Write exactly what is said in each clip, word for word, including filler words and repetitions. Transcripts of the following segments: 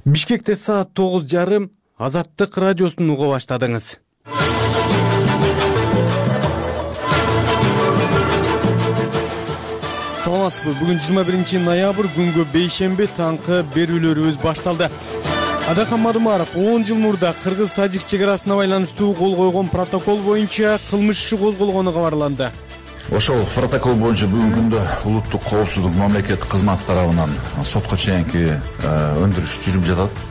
Бишкекте саат тогуз жарым Азаттык радиосун уга баштадыңыз. Саламатсызбы? Бүгүн жыйырма биринчи ноябрь күнгө бейшемби таңкы берүүлөрүбүз башталды. Адакан Мадымаров он жыл мурда кыргыз-тажик чек арасына байланыштуу кол койгон протокол боюнча кылмыш иши козголгону кабарланды. Ошол протокол боюнча бүгүнкү күндө улуттук коопсуздук мамлекеттик кызмат тарабынан сотко чейинки өндүрүш жүрүп жатат.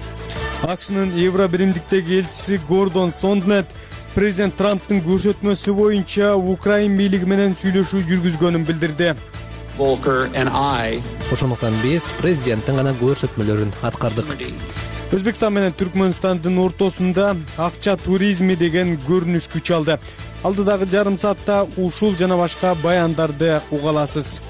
АКШнын Евробиримдиктеги элчиси Гордон Сондланд президент Трамптын көрсөтмөсү боюнча Украин бийлиги менен сүйлөшүү жүргүзгөнүн билдирди. Ошондуктан биз президенттин гана көрсөтмөлөрүн аткардык. Өзбекстан менен Түркмөнстандын ортосунда акча туризми деген көрүнүш күч алды. Алдыдагы жарым саатта ушул жана башка баяндарды уга аласыз.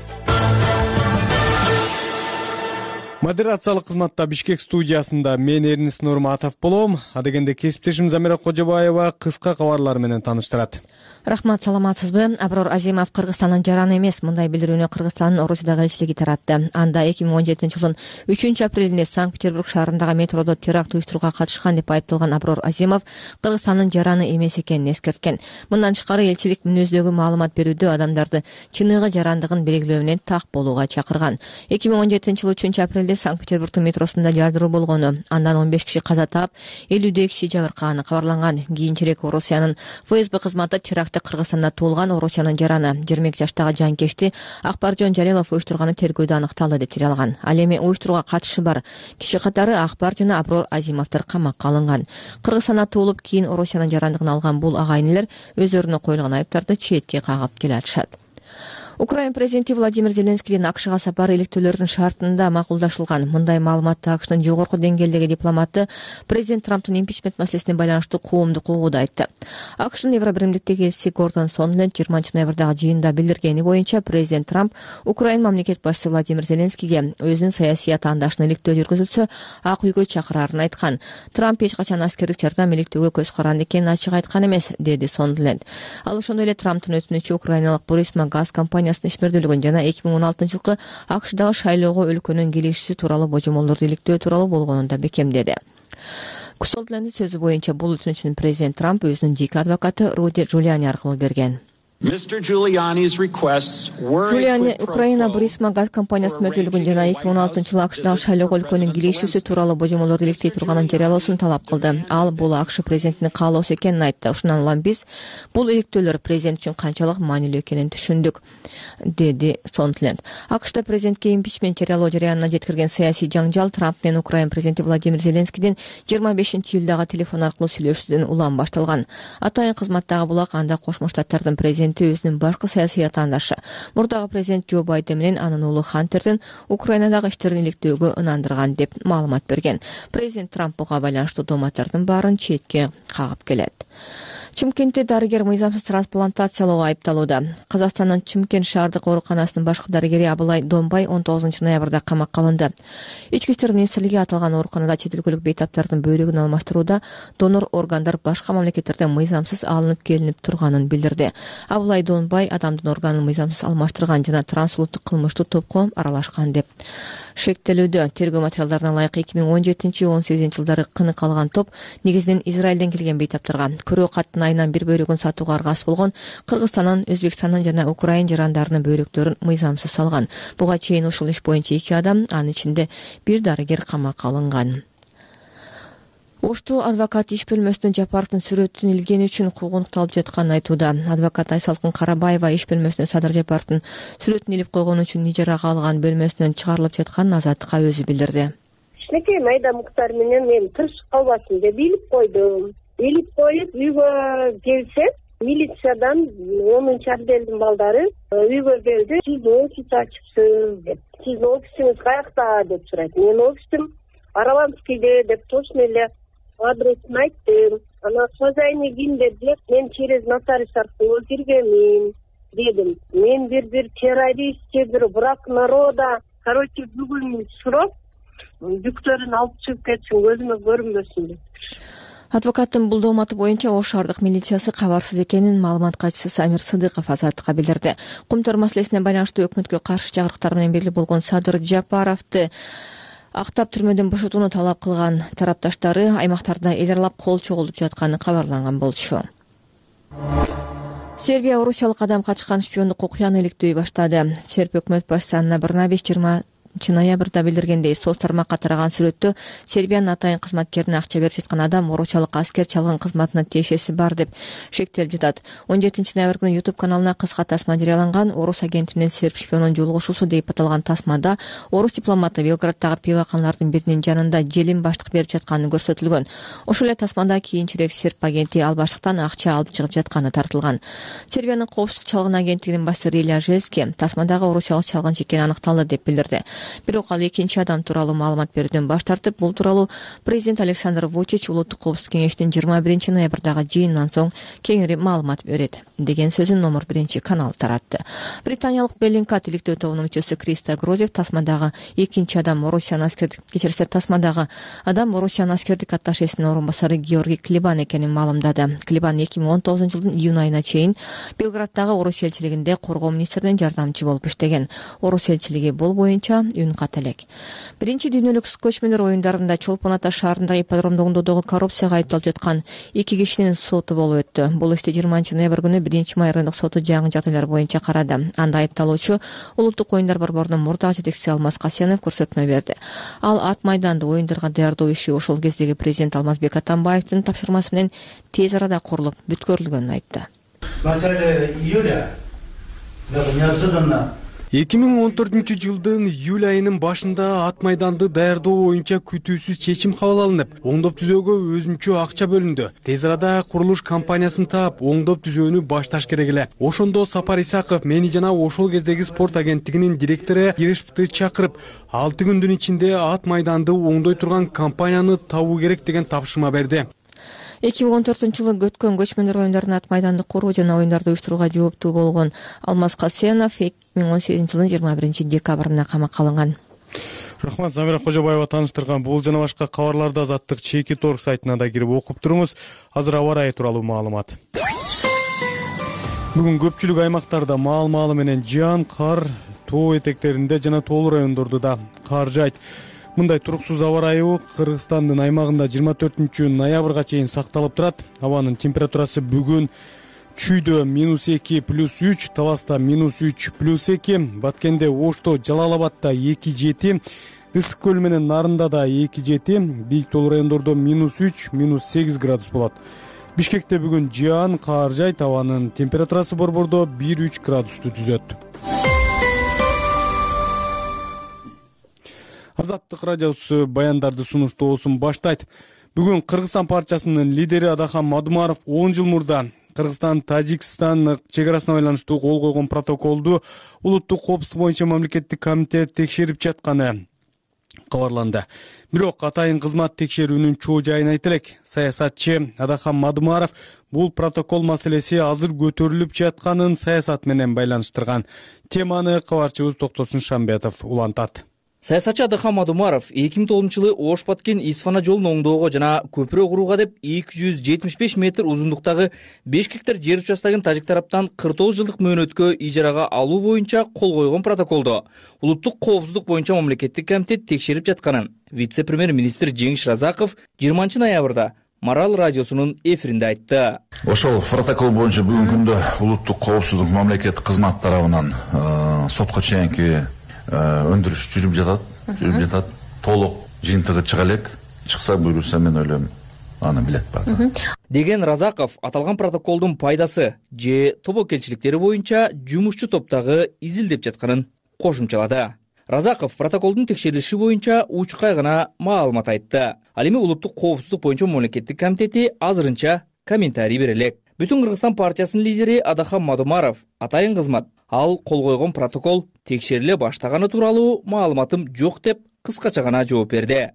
Модерациялык кызматта Бишкек студиясында мен Эрнис Нурматов болом. Адегенде кесиптешим Замира Кожобаева кыска кабарлар менен тааныштырат. Рахмат, саламатсызбы? Аброр Азимов Кыргызстандын жараны эмес, мындай билдирүүнү Кыргызстандын Орусиядагы элчилиги таратты. Анда эки миң он жетинчи жылдын үчүнчү апрелинде Санкт-Петербург шаарындагы метродо теракт уюштурууга катышкан деп айыпталган Аброр Азимов Кыргызстандын жараны эмес экенин эскерткен. Мындан тышкары элчилик мүнөздөгү маалымат берүүдө адамдарды чыныгы жарандыгын белгилөөнүн так болууга чакырган. эки миң он жетинчи жылы үчүнчү апрелде Санкт-Петербургдун метросунда жардыруу болгону, андан он беш киши каза таап, элүүдөй киши жабыркаганы кабарланган. Кийинчерээк Орусиянын ФСБ кызматы терактты Кыргызстанда туулган Орусиянын жараны жыйырма эки жаштагы жанкечти Акбаржон Жалилов уюштурганы тергөөдө аныкталды деп жарыялган. Ал эми уюштурууга катышы бар киши катары Акбар жана Аброр Азимовдор камакка алынган. Кыргызстанда туулуп, кийин Орусиянын жарандыгын алган бул агайын өздөрүнө коюлган айыптарды четке кагып келе атышат. Украин президенти Владимир Зеленскийдин АКШга сапары иликтөөлөрдүн шартында макулдашылган. Мындай маалыматты АКШнын жогорку деңгээлдеги дипломаты президент Трамптын импичмент маселесине байланыштуу коомдук угууда айтты. АКШнын Евробиримдиктеги элчиси Гордон Сондланд жыйырманчы ноябрдагы жыйында билдиргени боюнча президент Трамп Украин мамлекет башчысы Владимир Зеленскийге өзүнүн саясий атаандашына иликтөө жүргүзүлсө ак үйгө чакырарын айткан. Трамп эч качан аскердик жардам иликтөөгө көз каранды экенин ачык айткан эмес, деди Сондланд. Ал ошондой эле Трамптын өтүнүчү украиналык Бурисма газ компаниясынын ишмердүүлүгүн жана эки миң он алтынчы жылкы АКШдагы шайлоого өлкөнүн келишүүсү тууралуу божомолдорду иликтөө тууралуу болгонун да бекемдеди. Сондланддын сөзү боюнча бул өтүнүчүн президент Трамп өзүнүн жеке адвокаты Руди Джулиани аркылуу берген. Джулиани Украина Бурисма газ компаниясынын өкүлдүгүн жана эки миң он алтынчы жылы АКШдагы шайлоого өлкөнүн келишүүсү тууралуу божомолдорду иликтей турганын жарыялоосун талап кылды. Ал бул АКШ президентинин каалоосу экенин айтты. Ушундан улам биз бул иликтөөлөр президент үчүн канчалык маанилүү экенин түшүндүк, деди Сондланд. АКШда президентке импичмент жарыялоо жараянына жеткирген саясий жаңжал Трамп менен Украин президенти Владимир Зеленскийдин жыйырма бешинчи июлдагы телефон аркылуу сүйлөшүүсүнөн улам башталган. Атайын кызматтагы булак анда Кошмо Штаттардын президенти өзүнүн башкы саясий атаандашы мурдагы президент Джо Байден менен анын уулу Хантердин Украинадагы иштерин иликтөөгө ынандырган деп маалымат берген. Президент Трамп буга байланыштуу дооматтардын баарын четке кагып келет. Чымкентте дарыгер мыйзамсыз трансплантациялоого айыпталууда. Казакстандын Чымкент шаардык ооруканасынын башкы дарыгери Абылай Донбай он тогузунчу ноябрда камакка алынды. Ички иштер министрлиги аталган ооруканада чет өлкөлүк бейтаптардын бөйрөгүн алмаштырууда донор органдар башка мамлекеттерден мыйзамсыз алынып келинип турганын билдирди. Абылай Донбай адамдын органын мыйзамсыз алмаштырган жана трансулуттук кылмыштуу топко аралашкан деп шектелүүдө. Тергөө материалдарына ылайык эки миң он жетинчи он сегизинчи жылдары кынык алган топ негизинен Израилден келген бейтаптарга көрөө каттын айынан бир бөйрөгүн сатууга аргасыз болгон Кыргызстандын, Өзбекстандын жана Украин жарандарынын бөйрөктөрүн мыйзамсыз салган. Буга чейин ушул иш боюнча эки адам, анын ичинде бир дарыгер камакка алынган. Ошту адвокат иш бөлмөсүнө Жапаровдун сүрөтүн илгени үчүн куугунтукталып жатканын айтууда. Адвокат Айсалкын Карабаева иш бөлмөсүнө Садыр Жапаровдун сүрөтүн илип койгон үчүн ижарага алган бөлмөсүнөн чыгарылып жатканын Азаттыкка өзү билдирди. Кичинекей майда муктар менен мен тырышып калбасын деп илип койдум. Илип коюп үйгө келсе, милициядан онунчу отделдин балдары үйгө келди. Сиз офис ачыпсыз деп. Сиздин офисиңиз каякта деп сурайт. Мен офисим Араванскийде деп точно эле адресин айттым. Ана хозяйны ким деп, мен через нотариус аркылуу киргенмин дедим. Мен бир бир террористчи, бир враг народа, короче, бүгүн сурап, бүктөрүн алып чыгып кетсин, көзүмө көрүнбөсүн деп. Адвокаттын бул дооматы боюнча Ош шаардык милициясы кабарсыз экенин маалымат катчысы Самир Сыдыков Азаттыкка билдирди. Кумтөр маселесине байланыштуу өкмөткө каршы чакырыктар менен белгилүү болгон Садыр Жапаровду Актап түрмөдөн бошотууну талап кылган тарапташтары аймактарда эл аралап кол чогултуп жатканы кабарланган болчу. Сербия орусиялык адам качкан шпиондук окуяны иликтөй баштады. Сербия өкмөт башчысы Анна Брнабич жыйырманчы ноябрда билдиргендей, соц тармакка тараган сүрөттө Сербиянын атайын кызматкерине акча берип жаткан адам орусиялык аскер чалган кызматына тиешеси бар деп шектелип жатат. он жетинчи ноябрь күнү YouTube каналына кыска тасма жарыяланган. Орус агенти менен серб шпионунун жолугушуусу деп аталган тасмада орус дипломаты Белграддагы пиваканалардын биринин жанында желим баштык берип жатканы көрсөтүлгөн. Ошол эле тасмада кийинчерээк серб агенти ал баштыктан акча алып чыгып жатканы тартылган. Сербиянын коопсуздук чалгын агенттигинин башчысы Рилja Žeski тасмадагы орусиялык чалгынчы экени аныкталды деп билдирди. Бирок ал экинчи адам тууралуу маалымат берүүдөн баш тартып, бул тууралуу президент Александр Вучич Улуттук коопсуздук кеңештин жыйырма биринчи ноябрдагы жыйынынан соң кеңири маалымат берет деген сөзүн номер биринчи канал таратты. Британиялык Беллингкат иликтөө тобунун мүчөсү Криста Грозев тасмадагы экинчи адам Орусиянын аскердик кечирсе тасмадагы адам Орусиянын аскердик атташесинин орун басары Георгий Клибан экенин маалымдады. Клибан эки миң он тогузунчу жылдын июнь айына чейин Белграддагы Орус элчилигинде коргоо министринин жардамчы болуп иштеген. Орус элчилиги бул боюнча үн кат элек. Биринчи дүйнөлүк көчмөндөр оюндарында Чолпон Ата шаарындагы ипподромдо оңдоодогу коррупцияга айыпталып жаткан эки кишинин соту болуп өттү. Бул ишти жыйырманчы ноябрь күнү биринчи май райондук соту жаңы жагдайлар боюнча карады. Анда айыпталуучу Улуттук оюндар борборунун мурдагы жетекчиси Алмаз Касенов көрсөтмө берди. Ал ат майданды оюндарга даярдоо иши ошол кездеги президент Алмазбек Атамбаевдин тапшырмасы менен тез арада курулуп бүткөрүлгөнүн айтты. В начале июля неожиданно эки миң он төртүнчү жылдын июль айынын башында ат майданды даярдоо боюнча күтүүсүз чечим кабыл алынып, оңдоп түзөөгө өзүнчө акча бөлүндү. Тез арада курулуш компаниясын таап, оңдоп түзөөнү башташ керек эле. Ошондо Сапар Исаков мени жана ошол кездеги спорт агенттигинин директору Ерешевди чакырып, алты күндүн ичинде ат майданды оңдой турган компанияны табуу керек деген тапшырма берди. эки миң он төртүнчү жылы өткөн көчмөндөр оюндарын ат майданды куруу жана оюндарды уюштурууга жооптуу болгон Алмаз Касенов эки миң он сегизинчи жылдын жыйырма биринчи декабрында камакка алынган. Рахмат, Замира Кожобаева тааныштырган. Бул жана башка кабарларды Азаттык чеки торг сайтына да кирип окуп туруңуз. Азыр аба ырайы тууралуу маалымат. Бүгүн көпчүлүк аймактарда маал-маалы менен жаан, кар, тоо этектеринде жана тоолуу райондордо да кар жайт. Мындай туруксуз аба ырайы Кыргызстандын аймагында жыйырма төртүнчү ноябрга чейин сакталып турат. Абанын температурасы бүгүн Чүйдө минус эки плюс үч, Таласта минус үч плюс эки, Баткенде, Ошто, Жалал Абадда эки жети, Ысык көл менен Нарында да эки жети, бийик тоолуу райондордо минус үч, минус сегиз градус болот. Бишкекте бүгүн жаан, кар жайт, абанын температурасы борбордо бир үч градусту түзөт. Азаттык радиосу баяндарды сунуштоосун баштайт. Бүгүн Кыргызстан партиясынын лидери Адахан Мадумаров он жыл мурда Кыргызстан Тажикстан чек арасына байланыштуу кол койгон протоколду улуттук коопсуздук боюнча мамлекеттик комитет текшерип жатканы кабарланды. Бирок атайын кызмат текшерүүнүн чоо жайын айта элек. Саясатчы Адахан Мадумаров бул протокол маселеси азыр көтөрүлүп жатканын саясат менен байланыштырган. Теманы кабарчыбыз Токтосун Шамбетов улантат. Саясатчы Адахан Мадумаров эки миң тогузунчу жылы Ош Баткен Исфана жолун оңдоого жана көпүрө курууга деп эки жүз жетимиш беш метр узундуктагы беш гектар жер участогун тажик тараптан кырк тогуз жылдык мөөнөткө ижарага алуу боюнча кол койгон протоколду улуттук коопсуздук боюнча мамлекеттик комитет текшерип жатканын вице-премьер-министр Жеңиш Разаков жыйырманчы ноябрда Марал радиосунун эфиринде айтты. Ошол протокол боюнча бүгүнкү күндө улуттук коопсуздук мамлекеттик кызмат тарабынан сотко чейинки өндүрүш жүрүп жатат, жүрүп жатат. Толук жыйынтыгы чыга элек. Чыкса буюрса мен ойлойм аны билет бар. Деген Разаков аталган протоколдун пайдасы же тобокелчиликтери боюнча жумушчу топтогу изилдеп жатканын кошумчалады. Разаков протоколдун текшерилиши боюнча учкай гана маалымат айтты. Ал эми улуттук коопсуздук боюнча мамлекеттик комитети азырынча комментарий бере элек. Бүтүн Кыргызстан партиясынын лидери Адахан Мадумаров атайын кызмат ал кол койгон протокол текшериле баштаганы тууралуу маалыматым жок деп кыскача гана жооп берди.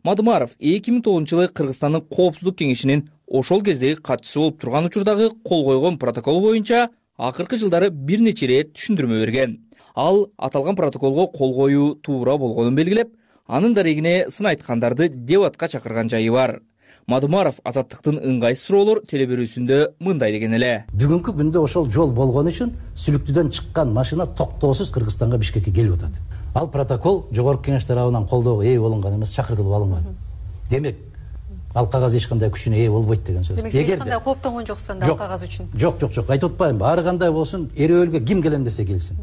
Мадумаров эки миң тогузунчу жылы Кыргызстандын коопсуздук кеңешинин ошол кездеги катчысы болуп турган учурдагы кол койгон протокол боюнча акыркы жылдары бир нече ирет түшүндүрмө берген. Ал аталган протоколго кол коюу туура болгонун белгилеп, анын дарегине сын айткандарды дебатка чакырган жайы бар. Мадумаров Азаттыктын ыңгайсыз суроолор теле берүүсүндө мындай деген эле. Бүгүнкү күндө ошол жол болгон үчүн Сүлүктүдөн чыккан машина токтоосуз Кыргызстанга, Бишкекке келип атат. Ал протокол жогорку кеңеш тарабынан колдоого ээ болгон эмес, чакыртылып алынган. Демек, ал кагаз эч кандай күчүнө ээ болбойт деген сөз. Демек, эч кандай кооптонгон жоксуң да ал кагаз үчүн. Жок, жок, жок, айтып атпайм. Ар кандай болсун, эрөөлгө ким келем десе келсин.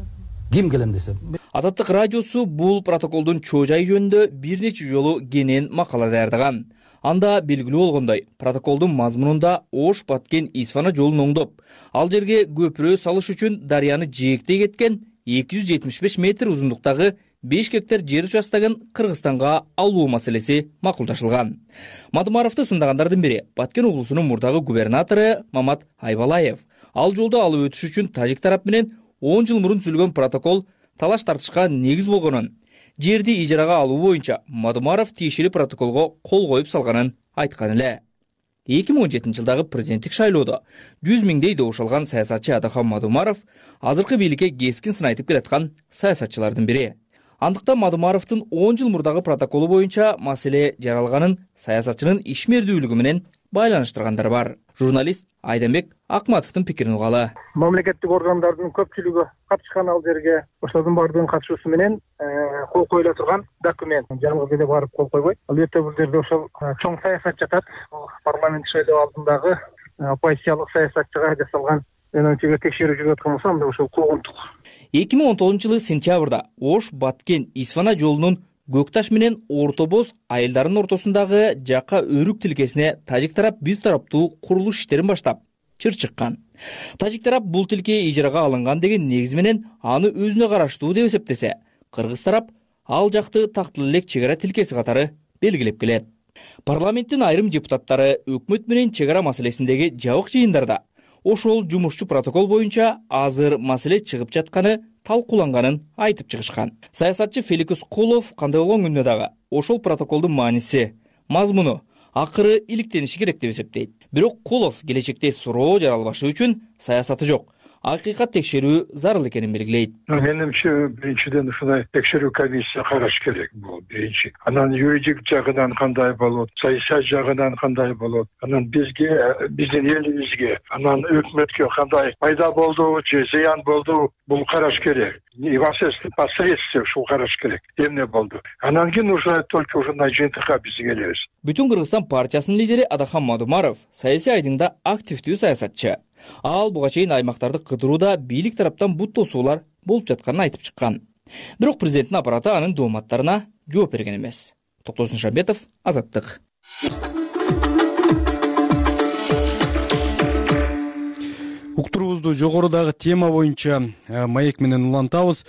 Ким келем десе. Азаттык радиосу бул протоколдун чоо жайы жөнүндө бир нече жолу кенен макала даярдаган. Анда белгилүү болгондой, протоколдун мазмунунда Ош Баткен Исфана жолун оңдоп, ал жерге көпүрө салыш үчүн дарыяны жээктей кеткен эки жүз жетимиш беш метр узундуктагы беш гектар жер участогун Кыргызстанга алуу маселеси макулдашылган. Мадумаровду сындагандардын бири Баткен облусунун мурдагы губернатору Мамат Айбалаев. Ал жолду алып өтүш үчүн тажик тарап менен он жыл мурун түзүлгөн протокол талаш тартышка негиз болгонун, жерди ижарага алуу боюнча Мадумаров тиешелүү протоколго кол коюп салганын айткан эле. эки миң он жетинчи жылдагы президенттик шайлоодо жүз миңдей добуш алган саясатчы Адахан Мадумаров азыркы бийликке кескин сын айтып келаткан саясатчылардын бири. Андыктан Мадумаровдун он жыл мурдагы протоколу боюнча маселе жаралганын саясатчынын ишмердүүлүгү менен байланыштыргандар бар. Журналист Айданбек Акматовдун пикирин угалы. Мамлекеттик органдардын көпчүлүгү катышкан ал жерге ошолордун баардыгынын катышуусу менен кол коюла турган документ. Жалгыз эле барып кол койбойт. Албетте бул жерде ошол чоң саясат жатат. Парламент шайлоо алдындагы оппозициялык саясатчыга жасалган менимче текшерүү жүрүп аткан болсо, анда ошол куугунтук. эки миң он тогузунчу жылы сентябрда Ош Баткен Исфана жолунун Көкташ менен Орто Боз айылдарынын ортосундагы жака өрүк тилкесине тажик тарап бир тараптуу курулуш иштерин баштап чыр чыккан. Тажик тарап бул тилке ижарага алынган деген негиз менен аны өзүнө караштуу деп эсептесе, кыргыз тарап ал жакты тактыл элек чек ара тилкеси катары белгилеп келет. Парламенттин айрым депутаттары өкмөт менен чек ара маселесиндеги жабык жыйындарда ошол жумушчу протокол боюнча азыр маселе чыгып жатканы талкууланганын айтып чыгышкан. Саясатчы Феликус Кулов кандай болгон күндө дагы ошол протоколдун мааниси, мазмуну акыры иликтениши керек деп эсептейт. Бирок Кулов келечекте суроо жаралбашы үчүн саясаты жок, акыйкат текшерүү зарыл экенин белгилейт. Менимче, биринчиден ушундай текшерүү комиссия караш керек. Бул биринчи. Анан юридик жагынан кандай болот, саясий жагынан кандай болот, анан бизге, биздин элибизге, анан өкмөткө кандай пайда болду же зыян болду, бул караш керек. Непосредственно ушул караш керек. Эмне болду? Анан кийин уже только ушундай жыйынтыкка биз келебиз. Бүтүн Кыргызстан партиясынын лидери Адахан Мадумаров саясий айдыңда активдүү саясатчы. Ал буга чейин аймактарды кыдырууда бийлик тараптан бут тосуулар болуп жатканын айтып чыккан. Бирок президенттин аппараты анын дооматтарына жооп берген эмес. Токтосун Шамбетов, Азаттык. Уктуруубузду жогорудагы тема боюнча маек менен улантабыз.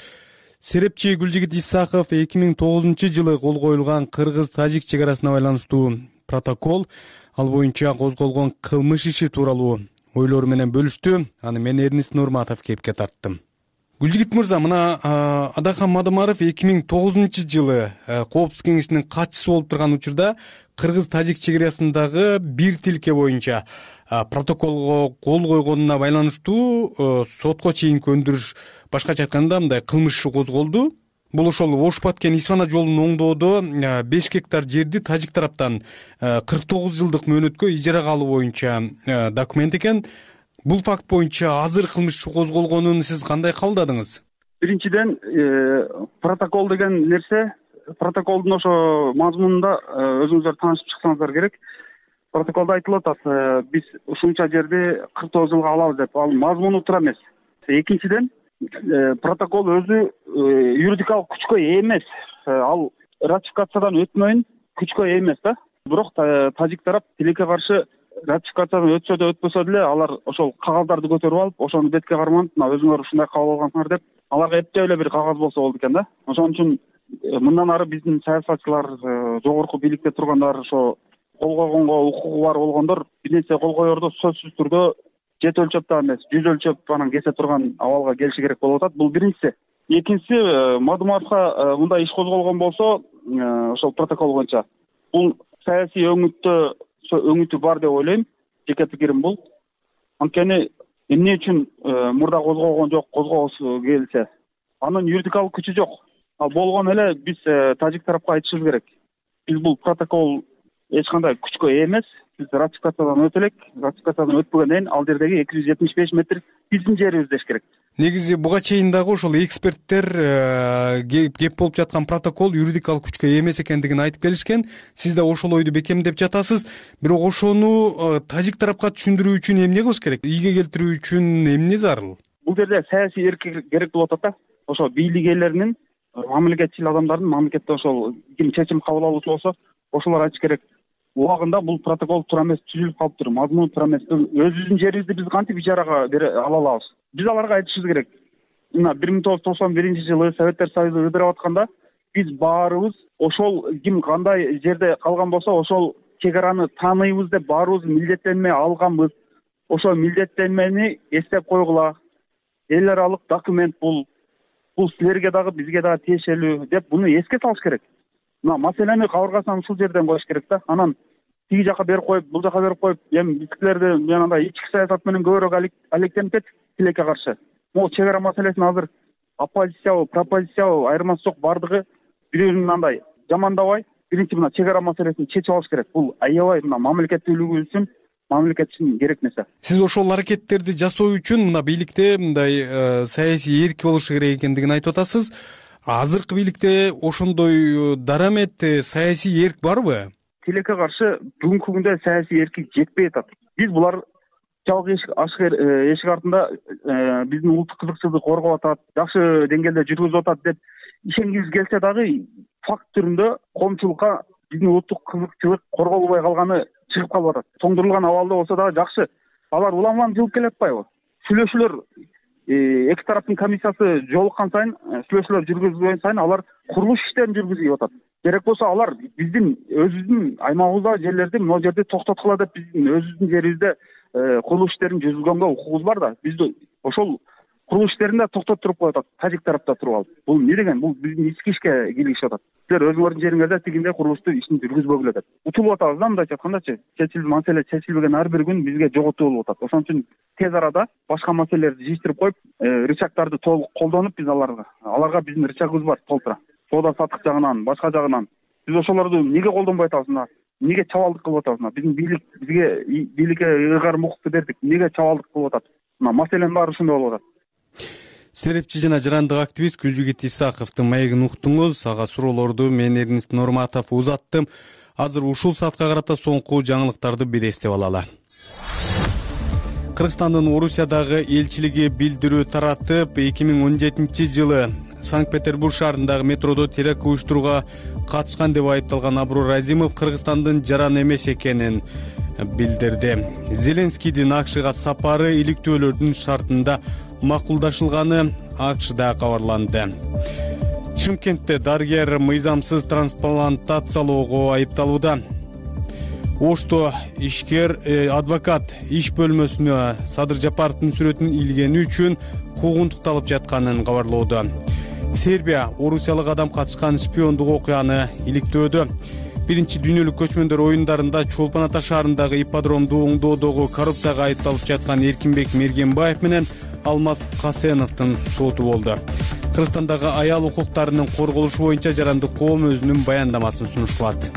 Серепчи Гүлжигит Исаков эки миң тогузунчу жылы кол коюлган кыргыз-тажик чек арасына байланыштуу протокол, ал боюнча козголгон кылмыш иши тууралуу ойлору менен бөлүштү. Аны мен Эрнис Нурматов кепке тарттым. Гүлжигит мырза, мына Адахан Мадумаров эки миң тогузунчу жылы Коопсуздук кеңешинин катчысы болуп турган учурда кыргыз-тажик чек арасындагы бир тилке боюнча протоколго кол койгонуна байланыштуу сотко чейинки өндүрүш, башкача айтканда мындай кылмыш иши козголду. Бул ошол Ош Баткен Исфана жолун оңдоодо беш гектар жерди тажик тараптан кырк тогуз жылдык мөөнөткө ижарага алуу боюнча документ экен. Бул факт боюнча азыр кылмыш иши козголгонун сиз кандай кабылдадыңыз? Биринчиден, протокол деген нерсе, протоколдун ошо мазмунунда өзүңүздөр таанышып чыксаңыздар керек. Протоколдо айтылып атат, биз ушунча жерди кырк тогуз жылга алабыз деп. Ал мазмуну туура эмес. Экинчиден, протокол өзү юридикалык күчкө ээ эмес. Ал ратификациядан өтмөйүн күчкө ээ эмес да. Бирок тажик тарап тилекке каршы ратификациядан өтсө да өтпөсө деле алар ошол кагаздарды көтөрүп алып, ошону бетке карманып, мына өзүңөр ушундай кабыл алгансыңар деп, аларга эптеп эле бир кагаз болсо болду экен да. Ошон үчүн мындан ары биздин саясатчылар, жогорку бийликте тургандар, ошо кол койгонго укугу бар болгондор бир нерсе кол коердо сөзсүз түрдө жет өлчөп эмес, жүз өлчөп анан кесе турган абалга келиши керек болуп атат. Бул биринчиси. Экинчиси, Мадумаровго мындай иш козголгон болсо, ошол протокол боюнча бул саясий өңүттө өңүтү бар деп ойлойм. Жеке пикирим бул. Анткени эмне үчүн мурда козголгон жок, козгоосу келсе, анын юридикалык күчү жок. Ал болгон эле биз тажик тарапка айтышыбыз керек. Биз бул протокол эч кандай күчкө ээ эмес. Биз ратификациядан өтө элек. Ратификациядан өтпөгөндөн кийин ал жердеги эки жүз жетимиш беш метр биздин жерибиз деш керек. Негизи буга чейин дагы ошол эксперттер кеп болуп жаткан протокол юридикалык күчкө ээ эмес экендигин айтып келишкен. Сиз да ошол ойду бекемдеп жатасыз. Бирок ошону тажик тарапка түшүндүрүү үчүн эмне кылыш керек? Ийге келтирүү үчүн эмне зарыл? Бул жерде саясий эркиндик керек болуп атат да. Ошо бийлик ээлеринин, мамлекетчил адамдардын, мамлекетте ошол ким чечим кабыл алуучу болсо, ошолор айтыш керек. Убагында бул протокол туура эмес, түзүлүп калыптыр, мазмуну туура эмес. Өзүбүздүн жерибизди биз кантип ижарага бере ала алабыз? Биз аларга айтышыбыз керек. Мына бир миң тогуз жүз токсон биринчи жылы Советтер Союзу ыдырап атканда биз баарыбыз ошол ким кандай жерде калган болсо, ошол чек араны тааныйбыз деп баарыбыз милдеттенме алганбыз. Ошол милдеттенмени эстеп койгула. Эл аралык документ бул. Бул силерге дагы, бизге дагы тиешелүү деп буну эске салыш керек. Мына маселени кабыргасынан ушул жерден коюш керек да. Анан тиги жака берип коюп, бул жака берип коюп, эми биздикилерди жанагындай ички саясат менен көбүрөөк алектенип кетип, тилекке каршы. Могу чек ара маселесин азыр оппозициябы, пропозициябы айырмасы жок, бардыгы бирөөнүн андай жамандабай, биринчи мына чек ара маселесин чечип алыш керек. Бул аябай мына мамлекеттүүлүгүбүз үчүн, мамлекет үчүн керек нерсе. Сиз ошол аракеттерди жасоо үчүн мына бийликте мындай саясий эрк болушу керек экендигин айтып атасыз. Азыркы бийликте ошондой дарамет, саясий эрк барбы? Тилекке каршы бүгүнкү күндө саясий эркик жетпей атат. Биз булар жабык эшик ашык эшик артында биздин улуттук кызыкчылыкты коргоп атат, жакшы деңгээлде жүргүзүп атат деп ишенгибиз келсе дагы факт түрүндө коомчулукка биздин улуттук кызыкчылык корголбой калганы чыгып калып атат. Тоңдурулган абалда болсо дагы жакшы. Алар улам-улам жылып келатпайбы? Сүйлөшүүлөр эки тараптын комиссиясы жолуккан сайын, сүйлөшүүлөр жүргүзүлгөн сайын алар курулуш иштерин жүргүзүп атат. Керек болсо алар биздин өзүбүздүн аймагыбызда жерлерди могу жерде токтоткула деп биздин өзүбүздүн жерибизде курулуш иштерин жүргүзгөнгө укугубуз бар да. Бизди ошол курулуш иштерин да токтотуп туруп атат, тажик тарапта туруп алып. Бул эмне деген? Бул биздин ички ишке киргизип атат. Силер өзүңөрдүн жериңерде тигиндей курулушту ишин жүргүзбөгүлө деп. Утулуп атабыз да, мындайча айткандачы. Чечилген маселе чечилбеген ар бир күн бизге жоготуу болуп атат. Ошон үчүн тез арада башка маселелерди жыйыштырып коюп, рычагдарды толук колдонуп биз аларга, аларга биздин рычагыбыз бар толтура. Соода саттык жагынан, башка жагынан. Биз ошолорду эмнеге колдонбой атабыз? Эмнеге чабалдык кылып атабыз? Биздин бийлик бизге бийликке ыйгарым укукту бердик. Эмнеге чабалдык кылып атат? Мына маселенин баары ушундай болуп атат. Серепчи жана жарандык активист Гүлжигит Исаковдун маегин уктуңуз. Ага суроолорду мен Эрнест Нурматов узаттым. Азыр ушул саатка карата соңку жаңылыктарды бир эстеп алалы. Кыргызстандын Орусиядагы элчилиги билдирүү таратып, эки миң он жетинчи жылы Санкт-Петербург шаарындагы метродо теракт уюштурууга катышкан деп айыпталган Абрур Азимов Кыргызстандын жаран эмес экенин билдирди. Зеленскийдин АКШга сапары иликтөөлөрдүн шартында макулдашылганы АКШда кабарланды. Чымкентте дарыгер мыйзамсыз трансплантациялоого айыпталууда. Ошто ишкер адвокат иш бөлмөсүнө Садыр Жапаровдун сүрөтүн илгени үчүн куугунтукталып жатканын кабарлоодо. Сербия орусиялык адам катышкан шпиондук окуяны иликтөөдө. Биринчи дүйнөлүк көчмөндөр оюндарында Чолпон Ата шаарындагы ипподромду оңдоодогу коррупцияга айыпталып жаткан Эркинбек Мергенбаев менен Алмаз Касеновдун соту болду. Кыргызстандагы аял укуктарынын корголушу боюнча жарандык коом өзүнүн баяндамасын сунуш кылат.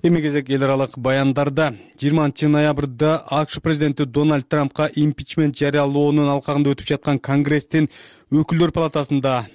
Эми кезек эл аралык баяндарда. жыйырманчы ноябрда АКШ президенти Дональд Трампка импичмент жарыялоонун алкагында өтүп жаткан Конгресстин өкүлдөр палатасында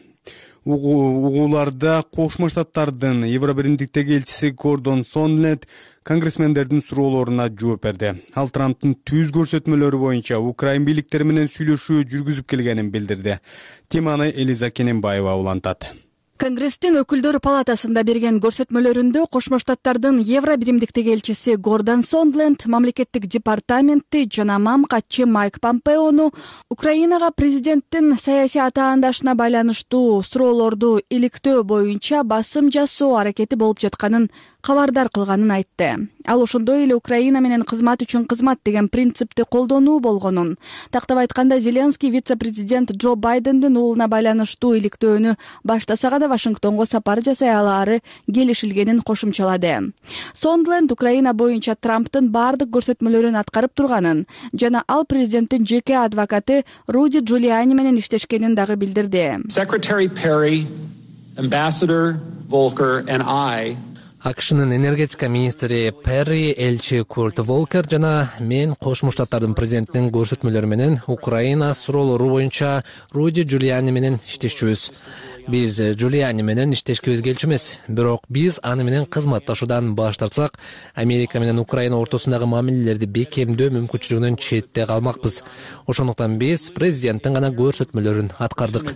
угууларда Кошмо Штаттардын Евробиримдиктеги элчиси Гордон Сондленд конгрессмендердин суроолоруна жооп берди. Ал Трамптын түз көрсөтмөлөрү боюнча Украин бийликтери менен сүйлөшүү жүргүзүп келгенин билдирди. Теманы Элиза Кененбаева улантат. Конгресстин өкүлдөр палатасында берген көрсөтмөлөрүндө Кошмо Штаттардын Евробиримдиктеги элчиси Гордон Сондленд, мамлекеттик департаменти жана МАМ катчы Майк Помпеону Украинага президенттин саясий атаандашына байланыштуу суроолорду иликтөө боюнча басым жасоо аракети болуп жатканын кабардар кылганын айтты. Ал ошондой эле Украина менен кызмат үчүн кызмат деген принципти колдонуу болгонун, тактап айтканда Зеленский вице-президент Джо Байдендин уулуна байланыштуу иликтөөнү баштаса да Вашингтонго сапар жасай алаары келишилгенин кошумчалады. Сондленд Украина боюнча Трамптын бардык көрсөтмөлөрүн аткарып турганын жана ал президенттин жеке адвокаты Руди Джулиани менен иштешкенин дагы билдирди. Secretary Perry Ambassador Volker and I акшнын энергетика министри Перри, элчи Курт Волкер жана мен Кошмо Штаттардын президентинин көрсөтмөлөрү менен Украина суроолору боюнча Руди Джулиани менен иштешчүбүз. Биз Джулиани менен иштешкибиз келчү эмес, бирок биз аны менен кызматташуудан баш тартсак, Америка менен Украина ортосундагы мамилелерди бекемдөө мүмкүнчүлүгүнөн четте калмакпыз. Ошондуктан биз президенттин гана көрсөтмөлөрүн аткардык.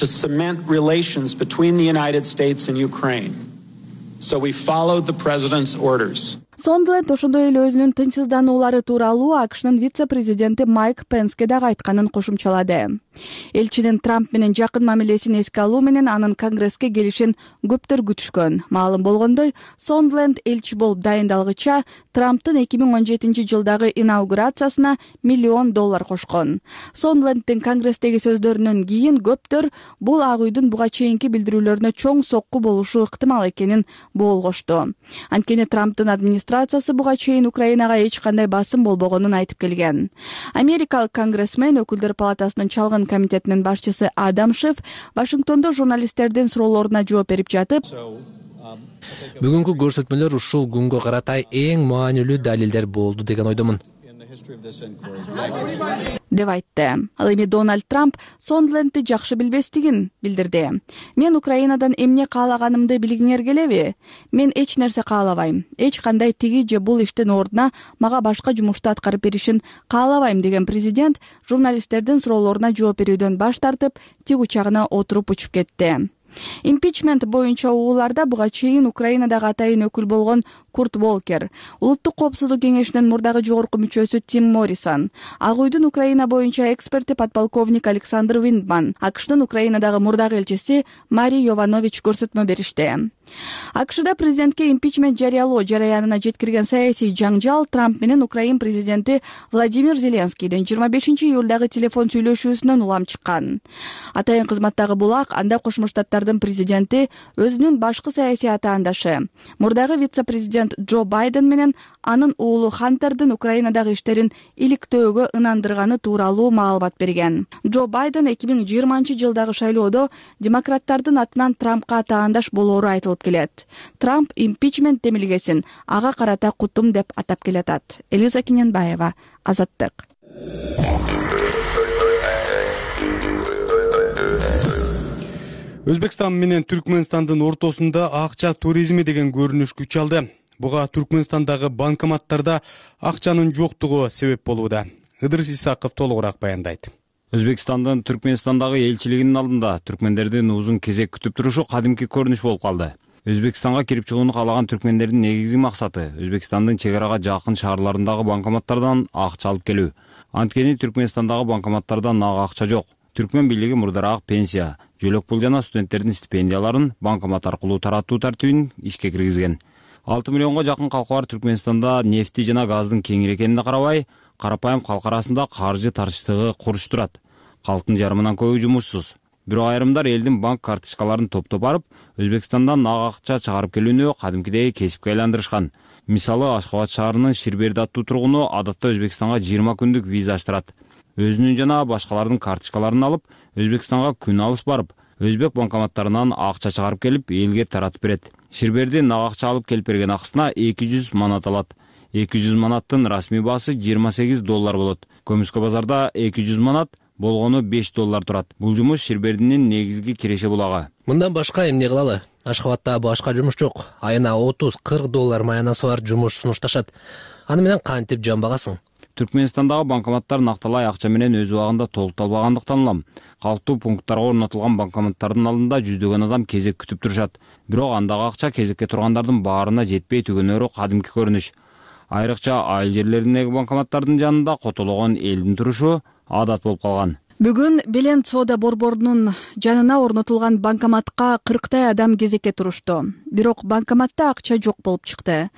to cement relations between the United States and Ukraine. So we followed the president's orders. Сондленд ошондой эле өзүнүн тынчсыздануулары тууралуу акшнын вице-президенти Майк Пенске дагы айтканын кошумчалады. Элчинин Трамп менен жакын мамилесин эске алуу менен анын Конгресске келишин көптөр күтүшкөн. Маалым болгондой, Сондленд элчи болуп дайындалгыча Трамптын эки миң он жетинчи жылдагы инаугурациясына миллион доллар кошкон. Сондленддин Конгресстеги сөздөрүнөн кийин көптөр бул Ак үйдүн буга чейинки билдирүүлөрүнө чоң сокку болушу ыктымал экенин боолгошту. Анткени Трамптын администрациясы буга чейин Украинага эч кандай басым болбогонун айтып келген. Америкалык конгрессмен өкүлдөр палатасынын чалгын комитетинин башчысы Адам Шеф Вашингтондо журналисттердин суроолоруна жооп берип жатып, бүгүнкү көрсөтмөлөр ушул күнгө карата эң маанилүү далилдер болду деген ойдомун, деп айтты. Ал эми Дональд Трамп Сондлендди жакшы билбестигин билдирди. Мен Украинадан эмне каалаганымды билгиңер келеби? Мен эч нерсе каалабайм. Эч кандай тиги же бул иштин ордуна мага башка жумушту аткарып беришин каалабайм деген президент журналисттердин суроолоруна жооп берүүдөн баш тартып, тиг учагына отуруп учуп кетти. Импичмент боюнча угууларда буга чейин Украинадагы атайын өкүл болгон Курт Волкер, Улуттук коопсуздук кеңешинин мурдагы жогорку мүчөсү Тим Моррисон, Ак үйдүн Украина боюнча эксперти подполковник Александр Виндман, АКШдын Украинадагы мурдагы элчиси Мари Йованович көрсөтмө беришти. АКШда президентке импичмент жарыялоо жараянына жеткирген саясий жаңжал Трамп менен Украин президенти Владимир Зеленскийдин жыйырма бешинчи июлдагы телефон сүйлөшүүсүнөн улам чыккан. Атайын кызматтагы булак анда Кошмо Штаттардын президенти өзүнүн башкы саясий атаандашы, мурдагы вице-президент Джо Байден менен анын уулу Хантердин Украинадагы иштерин иликтөөгө ынандырганы тууралуу маалымат берген. Джо Байден эки миң жыйырманчы жылдагы шайлоодо демократтардын атынан Трампка атаандаш болоору айтылып келет. Трамп импичмент демилгесин ага карата кутум деп атап келатат. Элиза Киненбаева, Азаттык. Өзбекстан менен Түркмөнстандын ортосунда акча туризми деген көрүнүш күч алды. Буга Түркмөнстандагы банкоматтарда акчанын жоктугу себеп болууда. Ыдырыс Исаков толугураак баяндайт. Өзбекстандын Түркмөнстандагы элчилигинин алдында түркмендердин узун кезек күтүп турушу кадимки көрүнүш болуп калды. Өзбекстанга кирип чыгууну каалаган түркмендердин негизги максаты Өзбекстандын чек арага жакын шаарларындагы банкоматтардан акча алып келүү. Анткени Түркмөнстандагы банкоматтарда ак акча жок. Түркмөн бийлиги мурдараак пенсия, жөлөк пул жана студенттердин стипендияларын банкомат аркылуу таратуу тартибин ишке киргизген. алты миллионго жакын калкы бар Түркмөнстанда нефти жана газдын кеңири экенине карабай, карапайым калк арасында каржы тартыштыгы куруш турат. Калктын жарымынан көбү жумушсуз. Бирок айрымдар элдин банк карточкаларын топтоп барып, Өзбекстандан ак акча чыгарып келүүнү кадимкидей кесипке айландырышкан. Мисалы, Ашкабад шаарынын Ширберди аттуу тургуну адатта Өзбекстанга жыйырма күндүк виза аштырат. Өзүнүн жана башкалардын карточкаларын алып, Өзбекстанга күн алыс барып, өзбек банкоматтарынан акча чыгарып келип, элге таратып берет. Ширберди ак акча алып келип берген акысына эки жүз манат алат. эки жүз манаттын расмий баасы жыйырма сегиз доллар болот. Көмүскө базарда эки жүз манат, болгону беш доллар турат. Бул жумуш Ширбердинин негизги киреше булагы. Мындан башка эмне кылалы? Ашкабадда башка жумуш жок. Айына отуз кырк доллар маянасы бар жумуш сунушташат. Аны менен кантип жамбагасың? Түркмөнстандагы банкоматтар накталай акча менен өз убагында толукталбагандыктан улам. Калктуу пункттарга орнотулган банкоматтардын алдында жүздөгөн адам кезек күтүп турушат. Бирок андагы акча кезекке тургандардын баарына жетпей түгөнөрү кадимки көрүнүш. Айрыкча айыл жерлериндеги банкоматтардын жанында котологон элдин турушу адат болуп калган. Бүгүн Беленд соода борборунун жанына орнотулган банкоматка кырктай адам кезекке турушту. Бирок банкоматта акча жок болуп чыкты.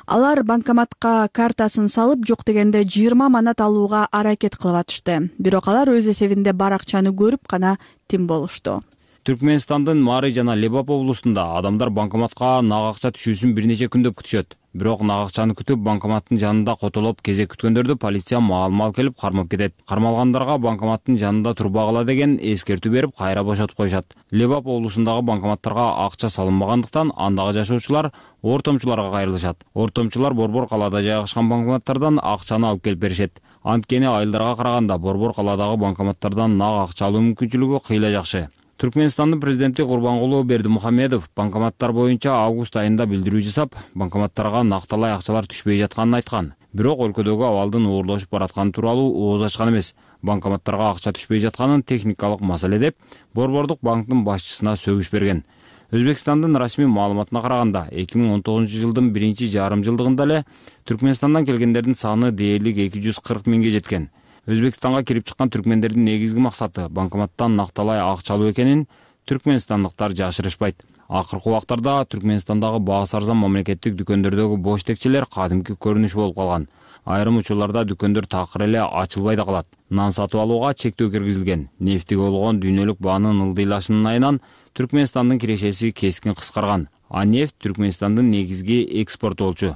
Алар банкоматка картасын салып, жок дегенде жыйырма манат алууга аракет кылып атышты. Бирок алар өз эсебинде бар акчаны көрүп гана тим болушту. Түркмөнстандын Мары жана Лебап облусунда адамдар банкоматка ак акча түшүүсүн бир нече күндөп күтүшөт. Бирок нак акчаны күтүп банкоматтын жанында котолоп кезек күткөндөрдү полиция маал-маал келип кармап кетет. Кармалгандарга банкоматтын жанында турбагыла деген эскертүү берип кайра бошотуп коюшат. Лебап облусундагы банкоматтарга акча салынбагандыктан андагы жашоочулар ортомчуларга кайрылышат. Ортомчулар Борбор калаада жайгашкан банкоматтардан акчаны алып келип беришет. Анткени айылдарга караганда Борбор калаадагы банкоматтардан нак акча алуу мүмкүнчүлүгү кыйла жакшы. Түркмөнстандын президенти Курбангулуу Бердимухамедов банкоматтар боюнча август айында билдирүү жасап, банкоматтарга накталай акчалар түшпөй жатканын айткан. Бирок өлкөдөгү абалдын оорлошуп баратканы тууралуу ооз ачкан эмес. Банкоматтарга акча түшпөй жатканын техникалык маселе деп, Борбордук банктын башчысына сөгүш берген. Өзбекстандын расмий маалыматына караганда, эки миң он тогузунчу жылдын биринчи жарым жылдыгында эле Түркмөнстандан келгендердин саны дээрлик эки жүз кырк миңге жеткен. Өзбекстанга кирип чыккан түркмендердин негизги максаты банкоматтан накталай акча алуу экенин түркмөнстандыктар жашырышпайт. Акыркы убактарда Түркмөнстандагы баасы арзан мамлекеттик дүкөндөрдөгү бош текчелер кадимки көрүнүш болуп калган. Айрым учурларда дүкөндөр такыр эле ачылбай да калат. Нан сатып алууга чектөө киргизилген. Нефтиге болгон дүйнөлүк баанын ылдыйлашынын айынан Түркмөнстандын кирешеси кескин кыскарган. А нефть Түркмөнстандын негизги экспортоочу.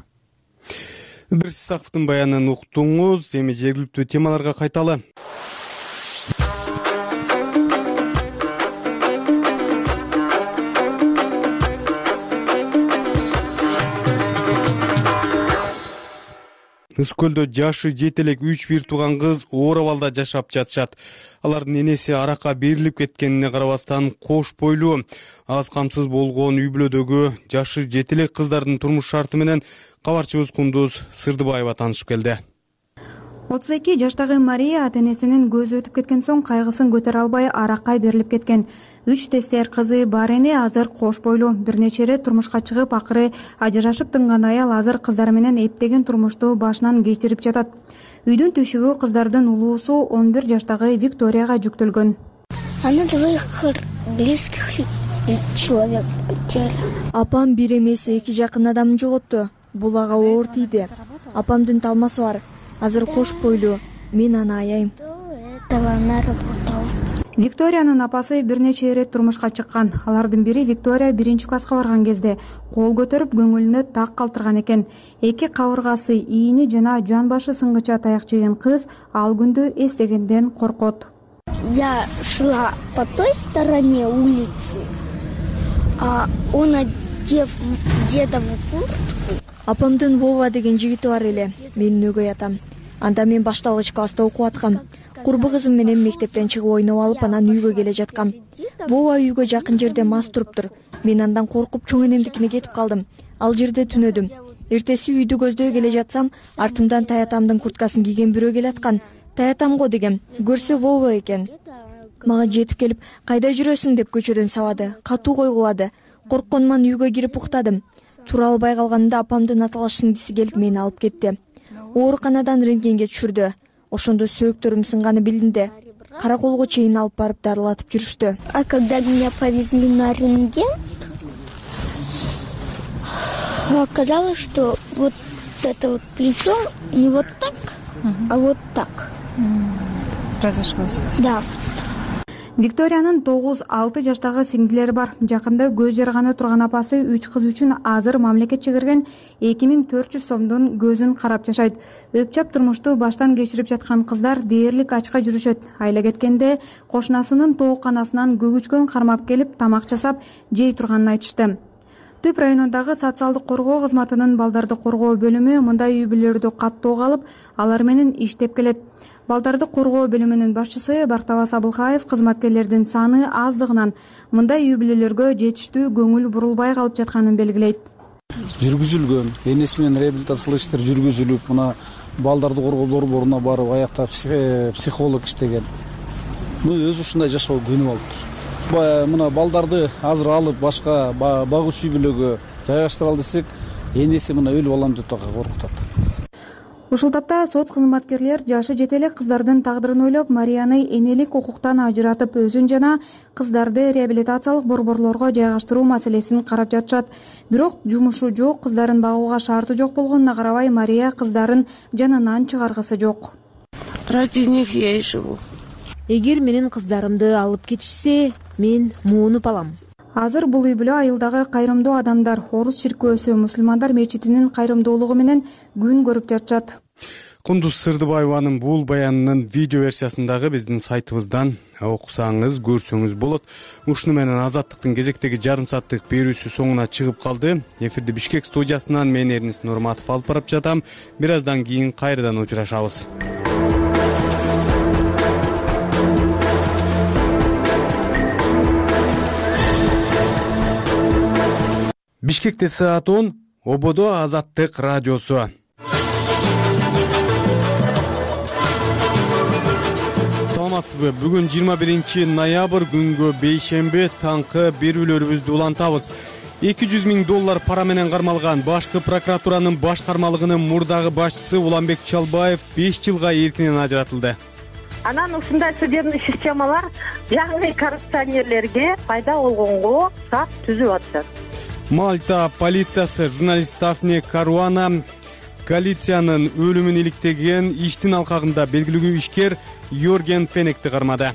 Ыдырыс Исаковдун баянын уктуңуз. Эми жергиликтүү темаларга кайталы. Ыс көлдө жашы жете элек үч бир тууган кыз оор абалда жашап жатышат. Алардын энеси аракка берилип кеткенине карабастан кош бойлуу, аз камсыз болгон үй бүлөдөгү жашы жете элек кыздардын турмуш шарты менен кабарчыбыз Кундуз Сырдыбаева таанышып келди. отуз эки жаштагы Мария ата-энесинин көзү өтүп кеткен соң кайгысын көтөрө албай аракка берилип кеткен. Үч тестер кызы бар эне азыр кош бойлуу. Бир нече ирет турмушка чыгып, акыры ажырашып тынган аял азыр кыздары менен эптеген турмушту башынан кечирип жатат. Үйдүн түйшүгү кыздардын улуусу он бир жаштагы Викторияга жүктөлгөн. Она двоих близких человек потеряла. Апам бир эмес эки жакын адамды жоготту. Бул ага оор тийди. Апамдын талмасы бар. Азыр кош бойлуу. Мен аны аяйм. Викториянын апасы бир нече ирет турмушка чыккан. Алардын бири Виктория биринчи класска барган кезде кол көтөрүп көңүлүнө так калтырган экен. Эки кабыргасы, ийини жана жан башы сынгыча таяк жеген кыз ал күндү эстегенден коркот. Я шла по той стороне улицы, а он одев дедову куртку. Апамдын Вова деген жигити бар эле. Менин өгөй атам. Анда мен башталгыч класста окуп аткам. Курбу кызым менен мектептен чыгып ойноп алып, анан үйгө келе жаткам. Вова үйгө жакын жерде мас туруптур. Мен андан коркуп чоң энемдикине кетип калдым. Ал жерде түнөдүм. Эртеси үйдү көздөй келе жатсам, артымдан таятамдын курткасын кийген бирөө келаткан. Таятам го дегем. Көрсө Вова экен. Мага жетип келип, кайда жүрөсүң деп көчөдөн сабады. Катуу койгулады. Коркконуман үйгө кирип уктадым. Тура албай калганда апамдын аталаш сиңдиси келип мени алып кетти. Ооруканадан рентгенге түшүрдү. Ошондо сөөктөрүм сынганы билинди. Караколго чейин алып барып дарылатып жүрүштү. А когда меня повезли на рентген, оказалось, что вот это вот плечо не вот так, а вот так. Произошло. Да. Викториянын тогуз алты жаштагы сиңдилери бар. Жакында көз жарганы турган апасы үч кыз үчүн азыр мамлекет чыгарган эки миң төрт жүз сомдун көзүн карап жашайт. Өпчап турмушту баштан кечирип жаткан кыздар дээрлик ачка жүрүшөт. Айла кеткенде кошунасынын тоокканасынан көгүчкөн кармап келип тамак жасап жей турганын айтышты. Түп районундагы социалдык коргоо кызматынын балдарды коргоо бөлүмү мындай үй бүлөлөрдү каттоого алып, алар менен иштеп келет. Балдарды коргоо бөлүмүнүн башчысы Бактабас Абылкаев кызматкерлердин саны аздыгынан мындай үй бүлөлөргө жетиштүү көңүл бурулбай калып жатканын белгилейт. Жүргүзүлгөн, энеси менен реабилитациялык иштер жүргүзүлүп, мына балдарды коргоо борборуна барып, аякта психолог иштеген. Ну, өзү ушундай жашоо көнүп алыптыр. Мына балдарды азыр алып башка багуучу үй бүлөгө жайгаштыралы десек, энеси мына өлүп алам деп коркутат. Ушул тапта сот кызматкерлер жашы жете элек кыздардын тагдырын ойлоп, Марияны энелик укуктан ажыратып, өзүн жана кыздарды реабилитациялык борборлорго жайгаштыруу маселесин карап жатышат. Бирок жумушу жок, кыздарын багууга шарты жок болгонуна карабай, Мария кыздарын жанынан чыгаргысы жок. Ради них я и живу. Эгер менин кыздарымды алып кетишсе, мен муунуп алам. азыр бул үй бүлө айылдагы кайрымдуу адамдар Орус чиркөөсү мусулмандар мечитинин кайрымдуулугу менен күн көрүп жатышат. Кундуз Сырдыбаеванын бул баянынын видео версиясын дагы биздин сайтыбыздан окусаңыз, көрсөңүз болот. Ушуну менен Азаттыктын кезектеги жарым сааттык берүүсү соңуна чыгып калды. Эфирди Бишкек студиясынан мен Эрнис Нурматов алып барып жатам. Бир аздан кийин кайрадан учурашабыз. Бишкекте саат он, Ободо Азаттык радиосу. Саламатсызбы? Бүгүн жыйырма биринчи ноябрь күнгө бейшемби таңкы берүүлөрүбүздү улантабыз. эки жүз миң доллар пара менен кармалган башкы прокуратуранын баш кармалыгынын мурдагы башчысы Уланбек Чалбаев беш жылга эркинен ажыратылды. Анан ушундай судебный системалар жаңы коррупционерлерге пайда болгонго сап түзүп атышат. Мальта полициясы журналист Дафне Каруана Галициянын өлүмүн иликтеген иштин алкагында белгилүү ишкер Йорген Фенекти кармады.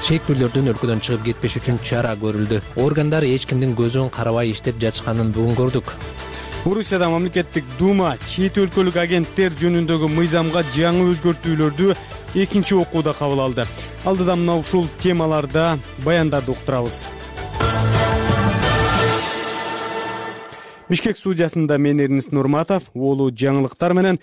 Шектүүлөрдүн өлкөдөн чыгып кетпеш үчүн чара көрүлдү. Органдар эч кимдин көзүн карабай иштеп жатышканын бүгүн көрдүк. Орусияда мамлекеттик дума чет өлкөлүк агенттер жөнүндөгү мыйзамга жаңы өзгөртүүлөрдү экинчи окууда кабыл алды. Алдыда мына ушул темаларда баяндарды уктурабыз. Бишкек студиясында мен Эрнис Нурматов, улуу жаңылыктар менен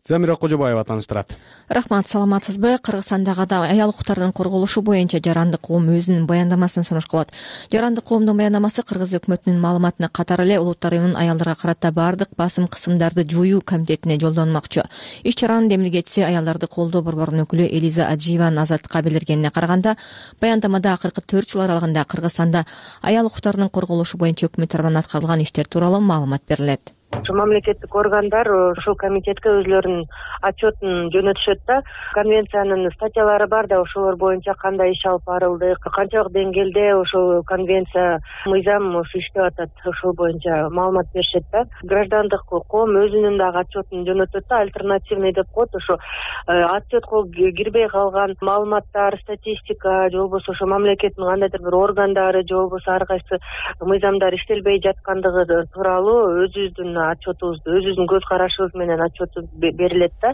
Замира Кожобаева тааныштырат. Рахмат, саламатсызбы? Кыргызстандагы аял укуктардын корголушу боюнча жарандык коом өзүнүн баяндамасын сунуш кылат. Жарандык коомдун баяндамасы Кыргыз өкмөтүнүн маалыматына катар эле Улуттар уюмунун аялдарга карата баардык басым кысымдарды жоюу комитетине жолдонмокчу. Иш чаранын демилгечиси аялдарды колдоо борборунун өкүлү Элиза Аджиеванын Азаттыкка билдиргенине караганда, баяндамада акыркы төрт жыл аралыгында Кыргызстанда аял укуктардын корголушу боюнча өкмөт тарабынан аткарылган иштер тууралуу маалымат берилет. Мамлекеттик органдар ушул комитетке өзлөрүнүн отчетун жөнөтүшөт да, конвенциянын статьялары бар да, ошолор боюнча кандай иш алып барылды, канчалык деңгээлде ошол конвенция мыйзам иштеп атат, ошол боюнча маалымат беришет да. Граждандык коом өзүнүн дагы отчетун жөнөтөт да, альтернативный деп коет, ошо отчетко кирбей калган маалыматтар, статистика, же болбосо ошо мамлекеттин кандайдыр бир органдары, же болбосо ар кайсы мыйзамдар иштелбей жаткандыгы тууралуу өзүбүздүн отчетубузду, өзүбүздүн көз карашыбыз менен отчету берилет да.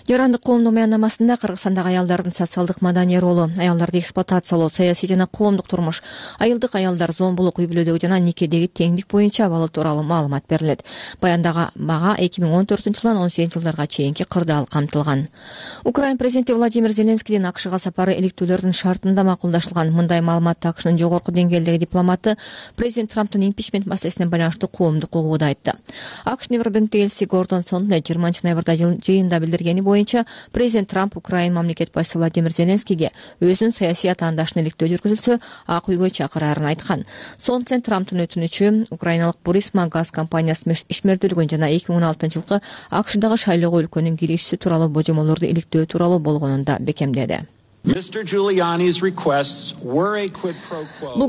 Жарандык коомдун баяндамасында Кыргызстандагы аялдардын социалдык маданий ролу, аялдарды эксплуатациялоо, саясий жана коомдук турмуш, айылдык аялдар, зомбулук, үй бүлөдөгү жана никедеги теңдик боюнча абалы тууралуу маалымат берилет. Баяндагы мага эки миң он төртүнчү жылдан он сегизинчи жылдарга чейинки кырдаал камтылган. Украин президенти Владимир Зеленскийдин АКШга сапары иликтүүлөрдүн шартында макулдашылган. Мындай маалыматты АКШнын жогорку деңгээлдеги дипломаты президент Трамптын импичмент маселесине байланыштуу коомдук угууда айтты. АКШ Небер Биринтиктеги элчиси Гордон Сондер жыйырманчы ноябрда жыйында билдиргени боюнча президент Трамп Украин мамлекет башчысы Владимир Зеленскийге өзүнүн саясий атаандашын иликтөө жүргүзүлсө ак үйгө чакырарын айткан. Сондер Трамптын өтүнүчү Украиналык Бурисма газ компаниясынын ишмердүүлүгүн жана эки миң он алтынчы жылкы АКШдагы шайлоого өлкөнүн кириши тууралуу божомолдорду иликтөө тууралуу болгонун да бекемдеди. Бул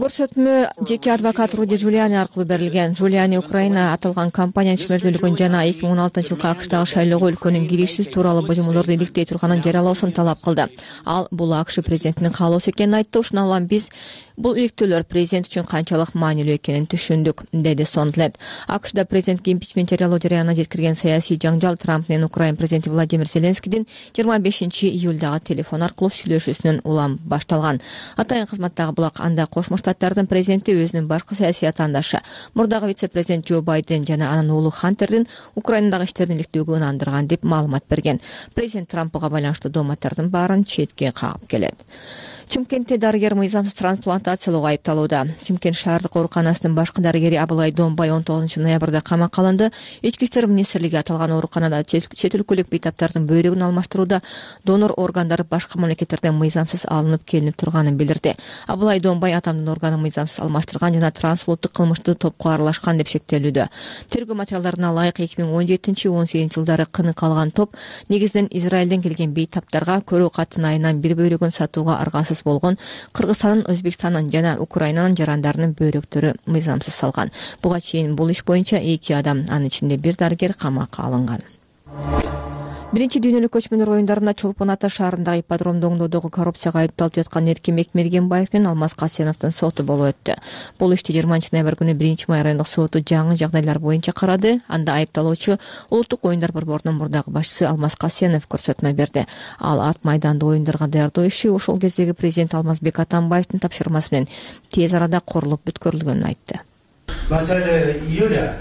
көрсөтмө жеке адвокат Руди Джулиани аркылуу берилген. Джулиани Украина аталган компаниянын ишмердүүлүгүн жана эки миң он алтынчы жылкы АКШдагы шайлоого өлкөнүн кириши тууралуу божомолдорду иликтей турганын жарыялоосун талап кылды. Ал бул АКШ президентинин каалоосу экенин айтты. Ушуна улам биз бул иликтөөлөр президент үчүн канчалык маанилүү экенин түшүндүк, деди Сондлет. АКШда президентке импичмент жарыялоо жараянына жеткирген саясий жаңжал Трамп менен Украин президенти Владимир Зеленскийдин жыйырма бешинчи июлдагы телефон аркылуу сүйлөшүүсүнөн улам башталган. Атайын кызматтагы булак анда Кошмо Штаттардын президенти өзүнүн башкы саясий атаандашы, мурдагы вице-президент Джо Байден жана анын уулу Хантердин Украинадагы иштерин иликтөөгө ынандырган деп маалымат берген. Президент Трамп буга байланыштуу дооматтардын баарын четке кагып келет. Чымкентте дарыгер мыйзамсыз трансплантациялоого айыпталууда. Чымкент шаардык ооруканасынын башкы дарыгери Абылай Домбай он тогузунчу ноябрда камакка алынды. Ички иштер министрлиги аталган ооруканада чет өлкөлүк бейтаптардын бөйрөгүн алмаштырууда донор органдары башка мамлекеттерден мыйзамсыз алынып келинип турганын билдирди. Абылай Домбай атамдын органын мыйзамсыз алмаштырган жана трансулуттук кылмыштуу топко аралашкан деп шектелүүдө. Тергөө материалдарына ылайык эки миң он жетинчи он сегизинчи жылдары кыны калган топ негизинен Израилден келген бейтаптарга көрүү каттын айынан бир бөйрөгүн сатууга аргасыз болгон Кыргызстандын, Өзбекстандын жана Украинанын жарандарынын бөйрөктөрү мыйзамсыз салган. Буга чейин бул иш боюнча эки адам, анын ичинде бир дарыгер камакка алынган. биринчи дүйнөлүк көчмөндөр оюндарында Чолпон Ата шаарындагы ипподромду оңдоодогу коррупцияга айыпталып жаткан Эркин Мекмергенбаев менен Алмаз Касеновдун соту болуп өттү. Бул ишти жыйырманчы ноябрь күнү биринчи май райондук соту жаңы жагдайлар боюнча карады. Анда айыпталуучу Улуттук оюндар борборунун мурдагы башчысы Алмаз Касенов көрсөтмө берди. Ал ат майданды оюндарга даярдоо иши ошол кездеги президент Алмазбек Атамбаевдин тапшырмасы менен тез арада курулуп бүткөрүлгөнүн айтты. В начале июля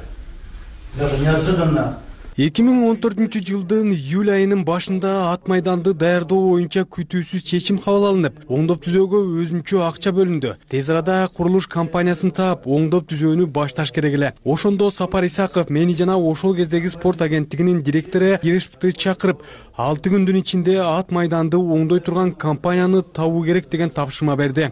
неожиданно эки миң он төртүнчү жылдын июль айынын башында ат майданды даярдоо боюнча күтүүсүз чечим кабыл алынып, оңдоп түзөөгө өзүнчө акча бөлүндү. Тез арада курулуш компаниясын таап, оңдоп түзөөнү башташ керек эле. Ошондо Сапар Исаков мени жана ошол кездеги спорт агенттигинин директору Ерешевди чакырып, алты күндүн ичинде ат майданды оңдой турган компанияны табуу керек деген тапшырма берди.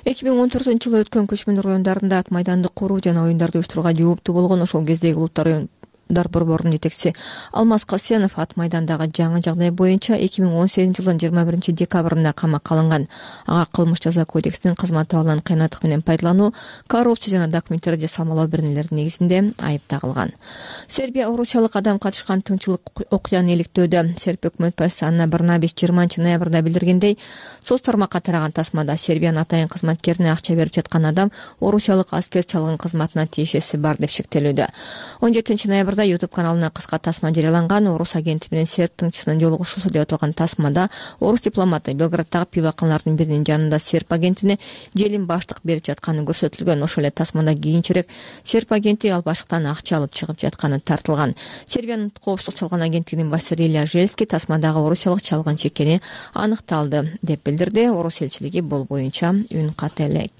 эки миң он төртүнчү жылы өткөн көчмөндөр оюндарында ат майданды куруу жана оюндарды уюштурууга жооптуу болгон ошол кездеги улуттар оюн борборунун жетекчиси Алмаз Касенов ат майдандагы жаңы жагдай боюнча эки миң он сегизинчи жылдын жыйырма биринчи декабрында камакка алынган. Ага кылмыш жаза кодексинин кызмат абалын кыйнаттык менен пайдалануу, коррупция жана документтерди жасалмалоо беренелердин негизинде айып тагылган. Сербия Орусиялык адам катышкан тынччылык окуяны иликтөөдө. Сербия өкмөт башчысы Анна Брнабич жыйырманчы ноябрда билдиргендей, соц тармакка тараган тасмада Сербиянын атайын кызматкерине акча берип жаткан адам Орусиялык аскер чалгын кызматына тиешеси бар деп шектелүүдө. он жетинчи ноябрда YouTube каналына кыска тасма жарыяланган. Орус агенти менен серб тыңчысынын жолугушуусу деп аталган тасмада орус дипломаты Белграддагы пиваканалардын биринин жанында серб агентине желим баштык берип жатканы көрсөтүлгөн. Ошол эле тасмада кийинчерээк серб агенти ал баштыктан акча алып чыгып жатканы тартылган. Сербиянын коопсуздук чалган агенттигинин башчысы Рилия Желски тасмадагы орусиялык чалгын чекени аныкталды деп билдирди. Орус элчилиги бул боюнча үн ката элек.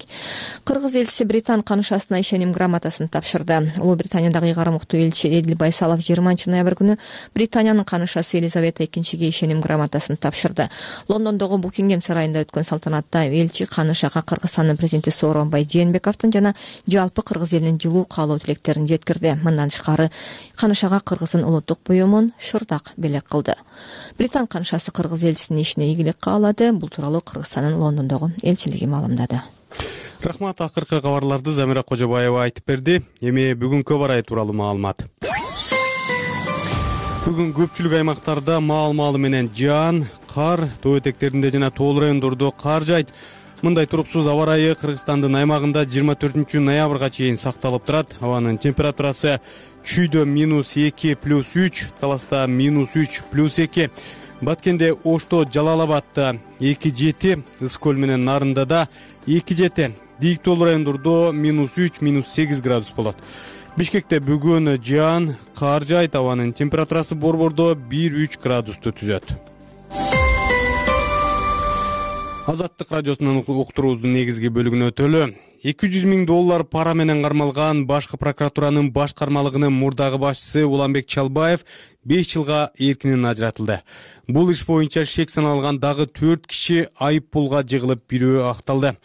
Кыргыз элчиси Британ канышасына ишеним грамотасын тапшырды. Улуу Британиядагы ыйгарым уктуу элчи Эдил Байсалов жыйырманчы ноябрь күнү Британиянын канышасы Елизавета экинчиге ишеним грамотасын тапшырды. Лондондогу Букингем сарайында өткөн салтанатта элчи канышага Кыргызстандын президенти Сооронбай Жээнбековдун жана жалпы кыргыз элинин жылуу каалоо тилектерин жеткирди. Мындан тышкары канышага Кыргыздын улуттук буюмун шырдак белек кылды. Британ канышасы кыргыз элчисинин ишине ийгилик каалады. Бул тууралуу Кыргызстандын Лондондогу элчилиги маалымдады. Рахмат, акыркы кабарларды Замира Кожобаева айтып берди. Эми бүгүнкү барай тууралуу маалымат. Бүгүн көпчүлүк аймактарда маал-маалы менен жаан, кар, тоо этектеринде жана тоол райондордо кар жайт. Мындай туруксуз аба ырайы Кыргызстандын аймагында жыйырма төртүнчү ноябрга чейин сакталып турат. Абанын температурасы Чүйдө минус эки плюс үч, Таласта минус үч плюс эки, Баткенде, Ошто, Жалал-Абадта эки жети, Ысык-Көл менен Нарындада эки жети, Дийик тоол райондордо минус үч минус сегиз градус болот. Бишкекте бүгүн жаан, кар жайт, абанын температурасы борбордо бир үч градусту түзөт. Азаттык радиосунун уктуруубуздун негизги бөлүгүнө өтөлү. эки жүз миң доллар пара менен кармалган башкы прокуратуранын башкармалыгынын мурдагы башчысы Уланбек Чалбаев беш жылга эркинен ажыратылды. Бул иш боюнча шек саналган дагы төрт киши айып пулга жыгылып, бирөө акталды.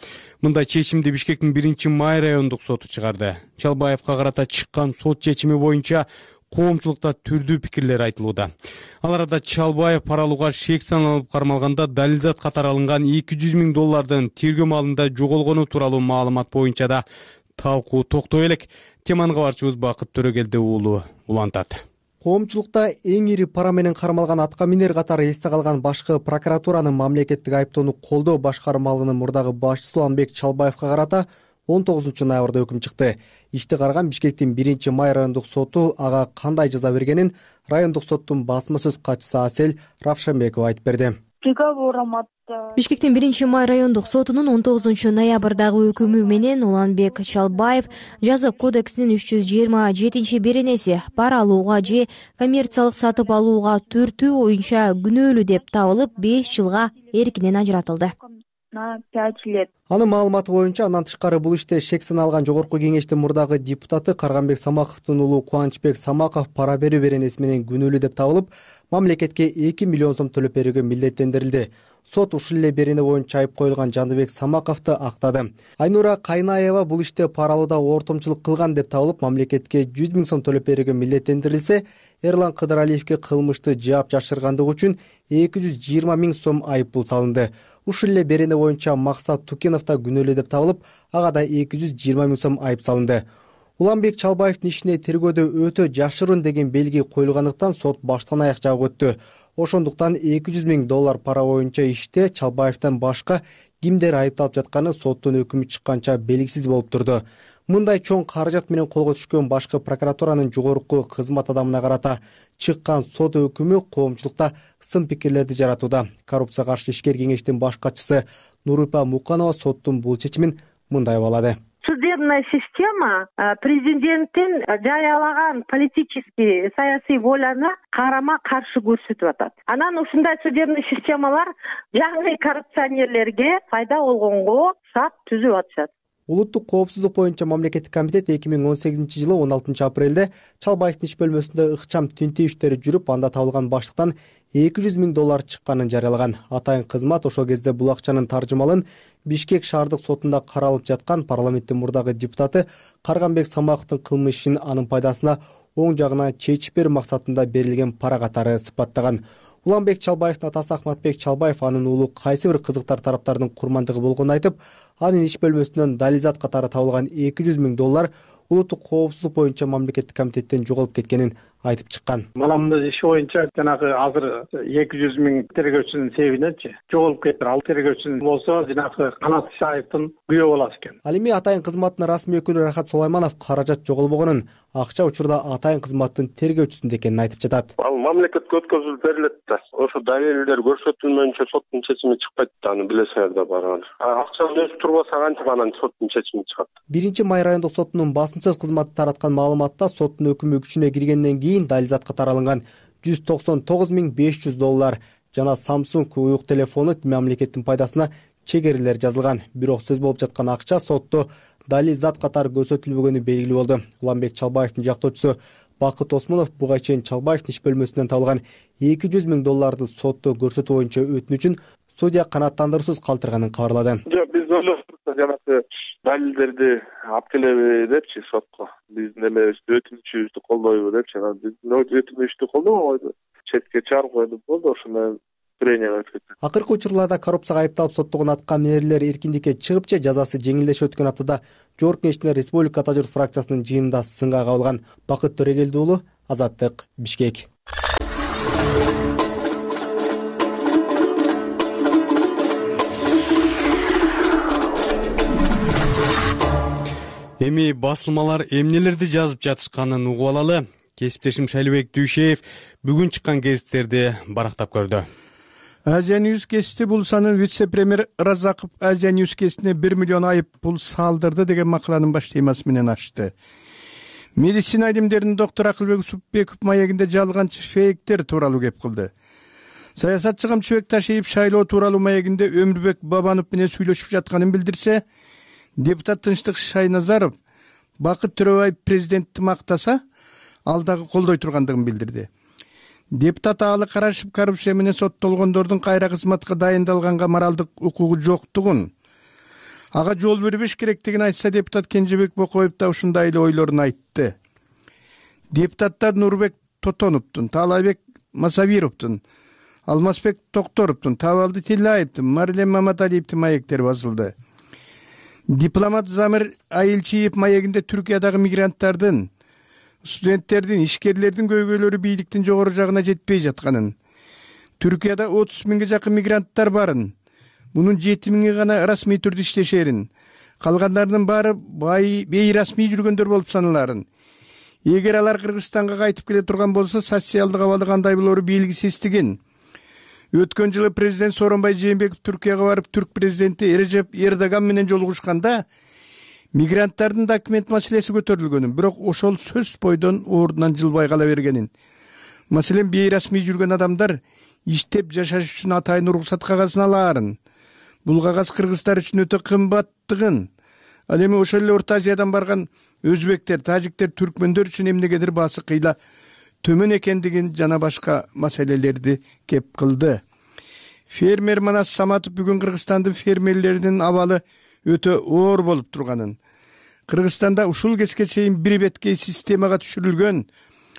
Мындай чечимди Бишкектин биринчи май райондук соту чыгарды. Чалбаевка карата чыккан сот чечими боюнча коомчулукта түрдүү пикирлер айтылууда. Ал арада Чалбаев пара алууга шек саналып кармалганда далилзат катары алынган эки жүз миң доллардын тергөө маалында жоголгону тууралуу маалымат боюнча да талкуу токтой элек. Теманы кабарчыбыз Бакыт Төрөгелди уулу улантат. Коомчулукта эң ири пара менен кармалган атка минер катары эсте калган башкы прокуратуранын мамлекеттик айыптоону колдоо башкармалыгынын мурдагы башчысы Уланбек Чалбаевка карата он тогузунчу ноябрда өкүм чыкты. Ишти караган Бишкектин биринчи май райондук соту ага кандай жаза бергенин райондук соттун басма сөз катчысы Асель Равшанбекова айтып берди. Бишкектин биринчи май райондук сотунун он тогузунчу ноябрдагы өкүмү менен Уланбек Чалбаев жаза кодексинин үч жүз жыйырма жетинчи беренеси пара алууга же коммерциялык сатып алууга түртүү боюнча күнөөлүү деп табылып, беш жылга эркинен ажыратылды. пять лет. Анын маалыматы боюнча андан тышкары бул иште шек саналган жогорку кеңештин мурдагы депутаты Карганбек Самаковдун уулу Кубанычбек Самаков пара берүү беренеси менен күнөөлүү деп табылып, мамлекетке эки миллион сом төлөп берүүгө милдеттендирилди. Сот ушул эле берене боюнча айып коюлган Жандыбек Самаковду актады. Айнура Кайнаева бул иште пара алууда ортомчулук кылган деп табылып, мамлекетке жүз миң сом төлөп берүүгө милдеттендирилсе, Эрлан Кыдыралиевге кылмышты жаап жашыргандыгы үчүн эки жүз жыйырма миң сом айып пул салынды. Ушул эле берене боюнча Максат Тукенов да күнөөлүү деп табылып, ага да эки жүз жыйырма миң сом айып салынды. Уланбек Чалбаевдин ишине тергөөдө өтө жашыруун деген белги коюлгандыктан сот баштан аяк жабып өттү. ошондуктан эки жүз миң доллар пара боюнча иште Чалбаевден башка кимдер айыпталып жатканы соттун өкүмү чыкканча белгисиз болуп турду. Мындай чоң каражат менен колго түшкөн башкы прокуратуранын жогорку кызмат адамына карата чыккан сот өкүмү коомчулукта сын пикирлерди жаратууда. Коррупцияга каршы ишкер кеңештин баш катчысы Нурупа Муканова соттун бул чечимин мындай баалады. Судебная система президенттин жарыялаган политический саясий воляны карама каршы көрсөтүп атат. Анан ушундай судебный системалар жаңы коррупционерлерге пайда болгонго шарт түзүп атышат. Улуттук коопсуздук боюнча мамлекеттик комитет эки миң он сегизинчи жылы он алтынчы апрелде Чалбаевдин иш бөлмөсүндө ыкчам тинтүү иштери жүрүп, анда табылган баштыктан эки жүз миң доллар чыкканын жарыялаган. Атайын кызмат ошол кезде бул акчанын таржымалын Бишкек шаардык сотунда каралып жаткан парламенттин мурдагы депутаты Карганбек Самаковдун кылмыш ишин анын пайдасына оң жагына чечип берүү максатында берилген пара катары сыпаттаган. Уланбек Чалбаевдин атасы Ахматбек Чалбаев анын уулу кайсы бир кызыктар тараптардын курмандыгы болгонун айтып, анын иш бөлмөсүнөн далилзат катары табылган эки жүз миң доллар улуттук коопсуздук боюнча мамлекеттик комитеттен жоголуп кеткенин айтып чыккан. Маламдын иши боюнча жанагы азыр эки жүз миң тергөөчүнүн себебиненчи жоголуп кетти. Ал тергөөчүнүн болсо жанагы Канат Исаевдин күйөө баласы экен. Ал эми атайын кызматтын расмий өкүлү Рахат Сулайманов каражат жоголбогонун, акча учурда атайын кызматтын тергөөчүсүндө экенин айтып жатат. Ал мамлекетке өткөзүлүп берилет да. Ошо далилдер көрсөтүлмөйүнчө соттун чечими чыкпайт да, аны билесиңер да барган. Акчаны өзү турбаса кантип анан соттун чечими чыгат. Биринчи май райондук сотунун басым сөз кызматы тараткан маалыматта соттун өкүмү күчүнө киргенден кийин далилзатка таралган жүз токсон тогуз миң беш жүз доллар жана Samsung уюк телефону мамлекеттин пайдасына чегерилер жазылган. Бирок сөз болуп жаткан акча сотто далилзат катары көрсөтүлбөгөнү белгилүү болду. Уланбек Чалбаевдин жактоочусу Бакыт Осмонов буга чейин Чалбаевдин иш бөлмөсүнөн табылган эки жүз миң долларды сотто көрсөтүү боюнча өтүнүчүн судья канааттандыруусуз калтырганын кабарлады. Жок, биз ойлоштук жанагы далилдерди алып келеби депчи сотко. Биздин эмебизди өтүнүчүбүздү колдойбу депчи. Биздин өтүнүчтү колдобойбу, четке чыгарып койдук болду, ошондо прения өтүп кетти. Акыркы учурларда коррупцияга айыпталып соттогон аткаминерлер эркиндикке чыгып же жазасы жеңилдешип өткөн аптада Жогорку Кеңештин Республика Ата журт фракциясынын жыйынында сынга кабылган. Бакыт Төрегелди уулу, Азаттык, Бишкек. Эми басылмалар эмнелерди жазып жатышканын угуп алалы. Кесиптешим Шайлыбек Дүйшеев бүгүн чыккан гезиттерди барактап көрдү. Азия Ньюс гезити бул санын вице-премьер Разаков Азия Ньюс гезитине бир миллион айып пул салдырды деген макаланын баш темасы менен ачты. Медицина илимдеринин доктору Акылбек Супбеков маегинде жазылган фейктер тууралуу кеп кылды. Саясатчы Камчыбек Ташиев шайлоо тууралуу маегинде Өмүрбек Бабанов менен сүйлөшүп жатканын билдирсе, депутат Тынчтык Шайназаров Бакыт Төрөбаев президентти мактаса, ал дагы колдой тургандыгын билдирди. Депутат Аалы Карашев коррупция менен соттолгондордун кайра кызматка дайындалганга моралдык укугу жоктугун, ага жол бербеш керектигин айтса, депутат Кенжебек Бокоев да ушундай эле ойлорун айтты. Депутаттар Нурбек Тотоновдун, Таалайбек Масавировдун, Алмазбек Токторовдун, Табалды Тилаевдин, Марлен Маматалиевдин маектери басылды. Дипломат Замир Айылчиев маегинде Түркиядагы мигранттардын, студенттердин, ишкерлердин көйгөйлөрү бийликтин жогору жагына жетпей жатканын, Түркияда отуз миңге жакын мигранттар барын, мунун жети миңи гана расмий түрдө иштешерин, калгандарынын баары бейрасмий жүргөндөр болуп саналарын, эгер алар Кыргызстанга кайтып келе турган болсо, социалдык абалы кандай болору белгисиздигин, өткөн жылы президент Сооронбай Жээнбеков Түркияга барып, түрк президенти Режеп Эрдоган менен жолугушканда мигранттардын документ маселеси көтөрүлгөнүн, бирок ошол сөз бойдон ордунан жылбай кала бергенин. Маселен, бейрасмий жүргөн адамдар иштеп жашаш үчүн атайын уруксат кагазын алаарын. Бул кагаз кыргыздар үчүн өтө кымбаттыгын. Ал эми ошол эле Орто Азиядан барган өзбектер, тажиктер, түркмөндөр үчүн эмнегедир баасы кыйла төмөн экендигин жана башка маселелерди кеп кылды. Фермер Манас Саматов бүгүн Кыргызстандын фермерлеринин абалы өтө оор болуп турганын, Кыргызстанда ушул кезге чейин бир беткей системага түшүрүлгөн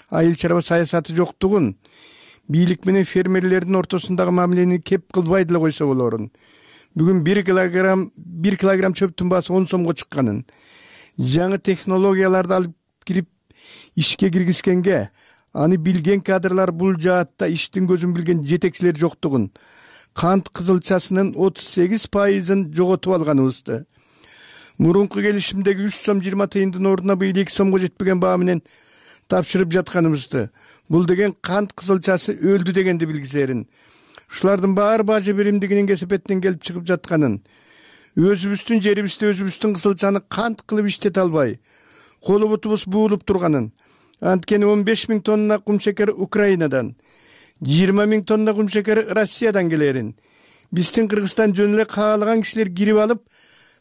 айыл чарба саясаты жоктугун, бийлик менен фермерлердин ортосундагы мамилени кеп кылбай деле койсо болорун, бүгүн бир килограмм бир килограмм чөптүн баасы он сомго чыкканын, жаңы технологияларды алып кирип ишке киргизгенге, аны билген кадрлар бул жаатта иштин көзүн билген жетекчилер жоктугун, кант кызылчасынын отуз сегиз пайызын жоготуп алганыбызды, мурунку келишимдеги үч сом жыйырма тыйындын ордуна быйыл эки сомго жетпеген баа менен тапшырып жатканыбызды, бул деген кант кызылчасы өлдү дегенди билгизерин. Ушулардын баары бажы биримдигинин кесепетинен келип чыгып жатканын, өзүбүздүн жерибизде өзүбүздүн кызылчаны кант кылып иштете албай, колу бутубуз буулуп турганын, анткени он беш миң тонна кумшекер Украинадан, жыйырма миң тонна кумшекер Россиядан келерин, биздин Кыргызстан жөн эле каалаган кишилер кирип алып,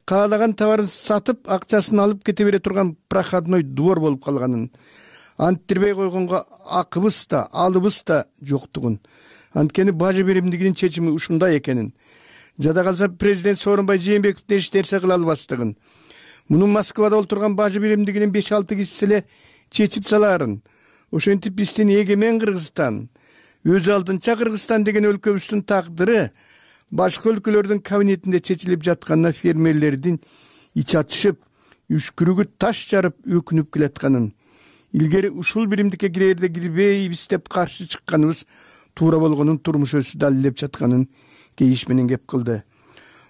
каалаган товарын сатып, акчасын алып кете бере турган проходной двор болуп калганын, анттирбей койгонго акыбыз да, алыбыз да жоктугун. Анткени бажы биримдигинин чечими ушундай экенин, жада калса президент Сооронбай Жээнбековден эч нерсе кыла албастыгын, муну Москвада олтурган бажы биримдигинин беш алты кишиси эле чечип салаарын. Ошентип биздин эгемен Кыргызстан, өз алдынча Кыргызстан деген өлкөбүздүн тагдыры башка өлкөлөрдүн кабинетинде чечилип жатканына фермерлердин ич ачышып, үшкүрүгү таш жарып өкүнүп келатканын, илгери ушул биримдикке кирерде кирбейбиз деп каршы чыкканыбыз туура болгонун турмуш өзү далилдеп жатканын кейиш менен кеп кылды.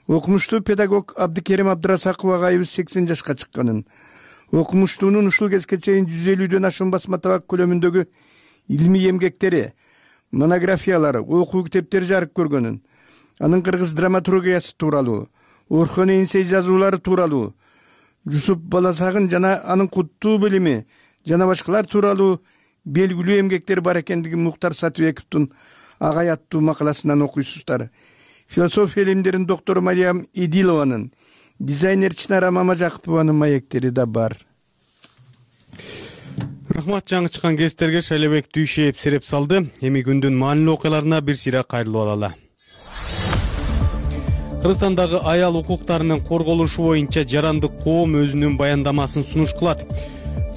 Окумуштуу педагог Абдыкерим Абдырасаков агайыбыз сексен жашка чыкканын, окумуштуунун ушул кезге чейин жүз элүүдөн ашуун басма табак көлөмүндөгү илимий эмгектери, монографиялары, окуу китептери жарык көргөнүн, анын кыргыз драматургиясы тууралуу, Орхон Эйнсей жазуулары тууралуу, Жусуп Баласагын жана анын куттуу билими жана башкалар тууралуу белгилүү эмгектер бар экендиги Муктар Сатыбековдун агай аттуу макаласынан окуйсуздар. Философия илимдеринин доктору Мариям Идилованын, дизайнер Чынара Мамажакупованын маектери да бар. Рахмат, жаңы чыккан кестерге Шайлебек Дүйшеев сереп салды. Эми күндүн маанилүү окуяларына бир сыйра кайрылып алалы. Кыргызстандагы аял укуктарынын корголушу боюнча жарандык коом өзүнүн баяндамасын сунуш кылат.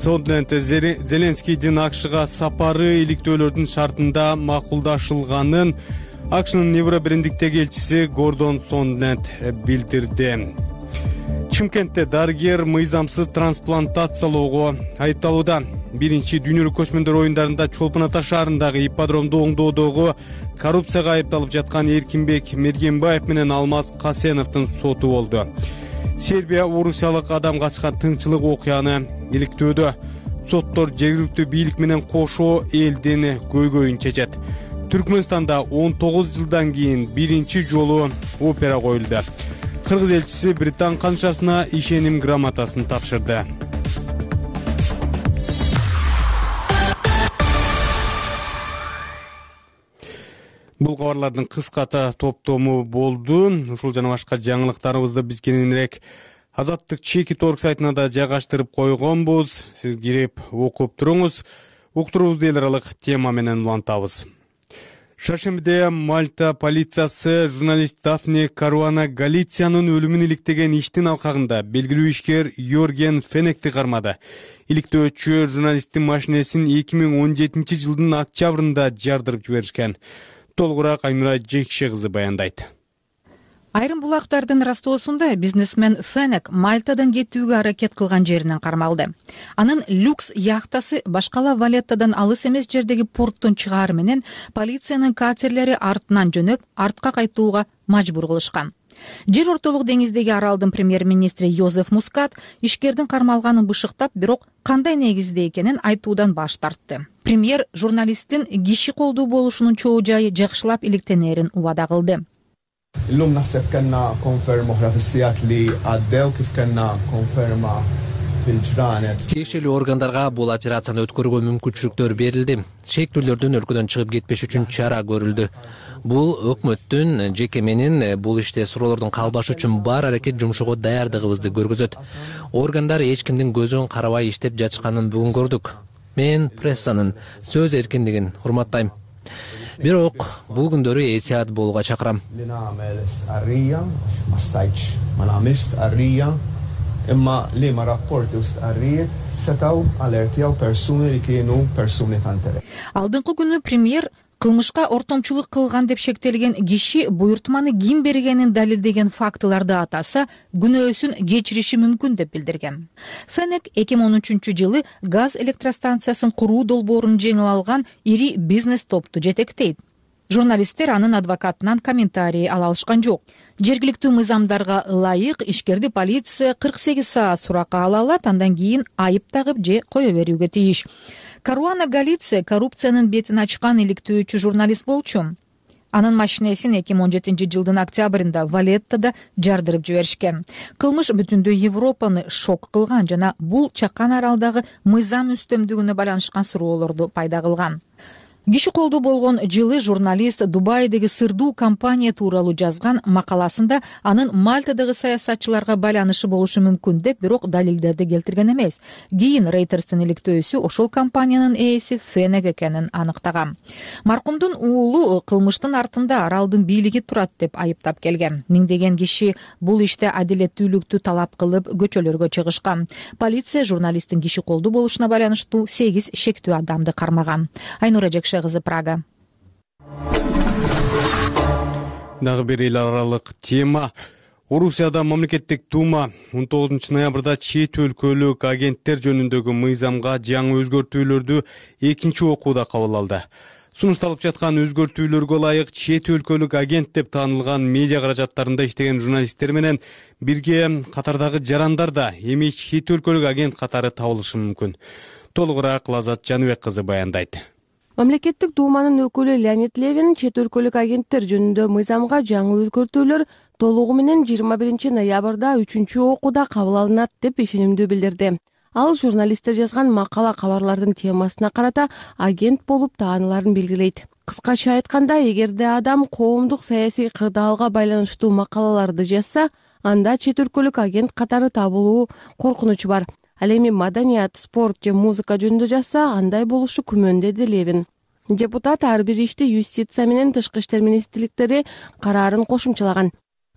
Сондленд Зеленскийдин АКШга сапары иликтөөлөрдүн шартында макулдашылганын АКШнын Евробиримдиктеги элчиси Гордон Сондленд билдирди. Чымкентте дарыгер мыйзамсыз трансплантациялоого айыпталууда. Биринчи дүйнөлүк көчмөндөр оюндарында Чолпон Ата шаарындагы ипподромду оңдоодогу коррупцияга айыпталып жаткан Эркинбек Мергенбаев менен Алмаз Касеновдун соту болду. Сербия орусиялык адам качкан тыңчылык окуяны иликтөөдө. Соттор жергиликтүү бийлик менен кошо элдин көйгөйүн чечет. Түркмөнстанда он тогуз жылдан кийин биринчи жолу опера коюлду. Кыргыз элчиси Британ канчасына ишеним грамотасын тапшырды. Бул кабарлардын кыската топтому болду. Ушул жана башка жаңылыктарыбызды биз кененирээк Азаттык чекит орг сайтына да жайгаштырып койгонбуз. Сиз кирип окуп туруңуз. Уктурубузду эл аралык тема менен улантабыз. Шаршембиде Мальта полициясы журналист Дафне Каруана Галициянын өлүмүн иликтеген иштин алкагында белгилүү ишкер Йорген Фенекти кармады. Иликтөөчү журналисттин машинесин эки миң он жетинчи жылдын октябрында жардырып жиберишкен. Толугураак Айнура Жекше кызы баяндайт. Айрым булактардын растоосунда бизнесмен Фенек Мальтадан кетүүгө аракет кылган жеринен кармалды. Анын люкс яхтасы башкала Валеттадан алыс эмес жердеги порттон чыгаар менен полициянын катерлери артынан жөнөп, артка кайтууга мажбур кылышкан. Жер ортолук деңиздеги аралдын премьер-министри Йозеф Мускат ишкердин кармалганын бышыктап, бирок кандай негизде экенин айтуудан баш тартты. Премьер журналисттин киши колдуу болушунун чоо жайы жакшылап иликтенерин убада кылды. Illum naħseb kellna konferma oħra fis-sigħat li għaddew kif kellna konferma fil-ġranet. Тиешелүү органдарга бул операцияны өткөрүүгө мүмкүнчүлүктөр берилди. Шектүүлөрдүн өлкөдөн чыгып кетпеш үчүн чара көрүлдү. Бул өкмөттүн жеке менин бул иште суроолордун калбашы үчүн бар аракет жумшоого даярдыгыбызды көргөзөт. Органдар эч кимдин көзүн карабай иштеп жатышканын бүгүн көрдүк. Мен прессанын сөз эркиндигин урматтайм. Бирок бул күндөрү этият болууга чакырам. Li nagħmel stqarrija, ma stajtx ma nagħmilx stqarrija, imma li ma rapporti u stqarrijiet setgħu alertjaw persuni li kienu persuni ta' interess. Алдыңкы күнү премьер кылмышка ортомчулук кылган деп шектелген киши буйртманы ким бергенин далилдеген фактыларды атаса күнөөсүн кечириши мүмкүн деп билдирген. Фенек эки миң он үчүнчү жылы газ электростанциясын куруу долбоорун жеңип алган ири бизнес топту жетектейт. Журналисттер анын адвокатынан комментарий ала алышкан жок. Жергиликтүү мыйзамдарга ылайык ишкерди полиция кырк сегиз саат суракка ала алат, андан кийин айып тагып же кое берүүгө тийиш. Каруана Галиция коррупциянын бетин ачкан иликтөөчү журналист болчу. Анын машинесин эки миң он жетинчи жылдын октябрында Валеттада жардырып жиберишкен. Кылмыш бүтүндөй Европаны шок кылган жана бул чакан аралдагы мыйзам үстөмдүгүнө байланышкан суроолорду пайда кылган. Киши колдуу болгон жылы журналист Дубайдеги сырдуу компания тууралуу жазган макаласында анын Мальтадагы саясатчыларга байланышы болушу мүмкүн деп, бирок далилдерди келтирген эмес. Кийин Рейтерстин иликтөөсү ошол компаниянын ээси Фенек экенин аныктаган. Маркумдун уулу кылмыштын артында аралдын бийлиги турат деп айыптап келген. Миңдеген киши бул иште адилеттүүлүктү талап кылып көчөлөргө чыгышкан. Полиция журналисттин киши колдуу болушуна байланыштуу сегиз шектүү адамды кармаган. Айнура кызы, Прага. Дагы бир эл аралык тема. Орусияда мамлекеттик дума он тогузунчу ноябрда чет өлкөлүк агенттер жөнүндөгү мыйзамга жаңы өзгөртүүлөрдү экинчи окууда кабыл алды. Сунушталып жаткан өзгөртүүлөргө ылайык чет өлкөлүк агент деп таанылган медиа каражаттарында иштеген журналисттер менен бирге катардагы жарандар да эми чет өлкөлүк агент катары табылышы мүмкүн. Толугураак Лазат Жаныбек кызы баяндайт. Мамлекеттик думанын өкүлү Леонид Левин чет өлкөлүк агенттер жөнүндө мыйзамга жаңы өзгөртүүлөр толугу менен жыйырма биринчи ноябрда үчүнчү окууда кабыл алынат деп ишенимдүү билдирди. Ал журналисттер жазган макала кабарлардын темасына карата агент болуп тааныларын белгилейт. Кыскача айтканда, эгерде адам коомдук саясий кырдаалга байланыштуу макалаларды жазса, анда чет өлкөлүк агент катары табылуу коркунучу бар. Ал эми маданият, спорт же музыка жөнүндө жазса, андай болушу күмөн, деди Левин. Депутат ар бир ишти юстиция менен тышкы иштер министрликтери караарын кошумчалаган.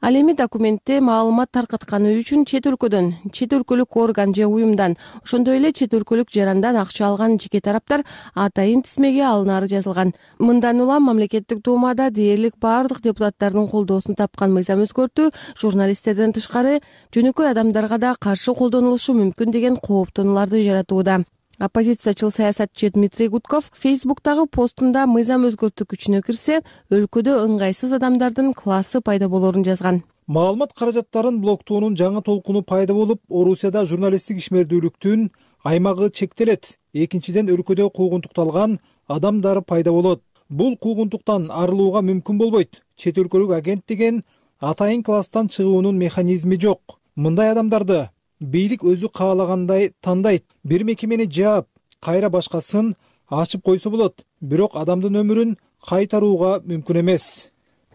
Ал эми документте маалымат таркатканы үчүн чет өлкөдөн, чет өлкөлүк орган же уюмдан, ошондой эле чет өлкөлүк жарандан акча алган жеке тараптар атайын тизмеге алынары жазылган. Мындан улам мамлекеттик думада дээрлик баардык депутаттардын колдоосун тапкан мыйзам өзгөртүү журналисттерден тышкары жөнөкөй адамдарга да каршы колдонулушу мүмкүн деген кооптонууларды жаратууда. Оппозициячыл саясатчы Дмитрий Гудков Фейсбуктагы постунда мыйзам өзгөртүү күчүнө кирсе, өлкөдө ыңгайсыз адамдардын классы пайда болорун жазган. Маалымат каражаттарын блоктоонун жаңы толкуну пайда болуп, Орусияда журналисттик ишмердүүлүктүн аймагы чектелет. Экинчиден, өлкөдө куугунтукталган адамдар пайда болот. Бул куугунтуктан арылууга мүмкүн болбойт. Чет өлкөлүк агент деген атайын класстан чыгуунун механизми жок. Мындай адамдарды бийлик өзү каалагандай тандайт. Бир мекемени жаап, кайра башкасын ачып койсо болот, бирок адамдын өмүрүн кайтарууга мүмкүн эмес,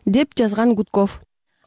деп жазган Гудков.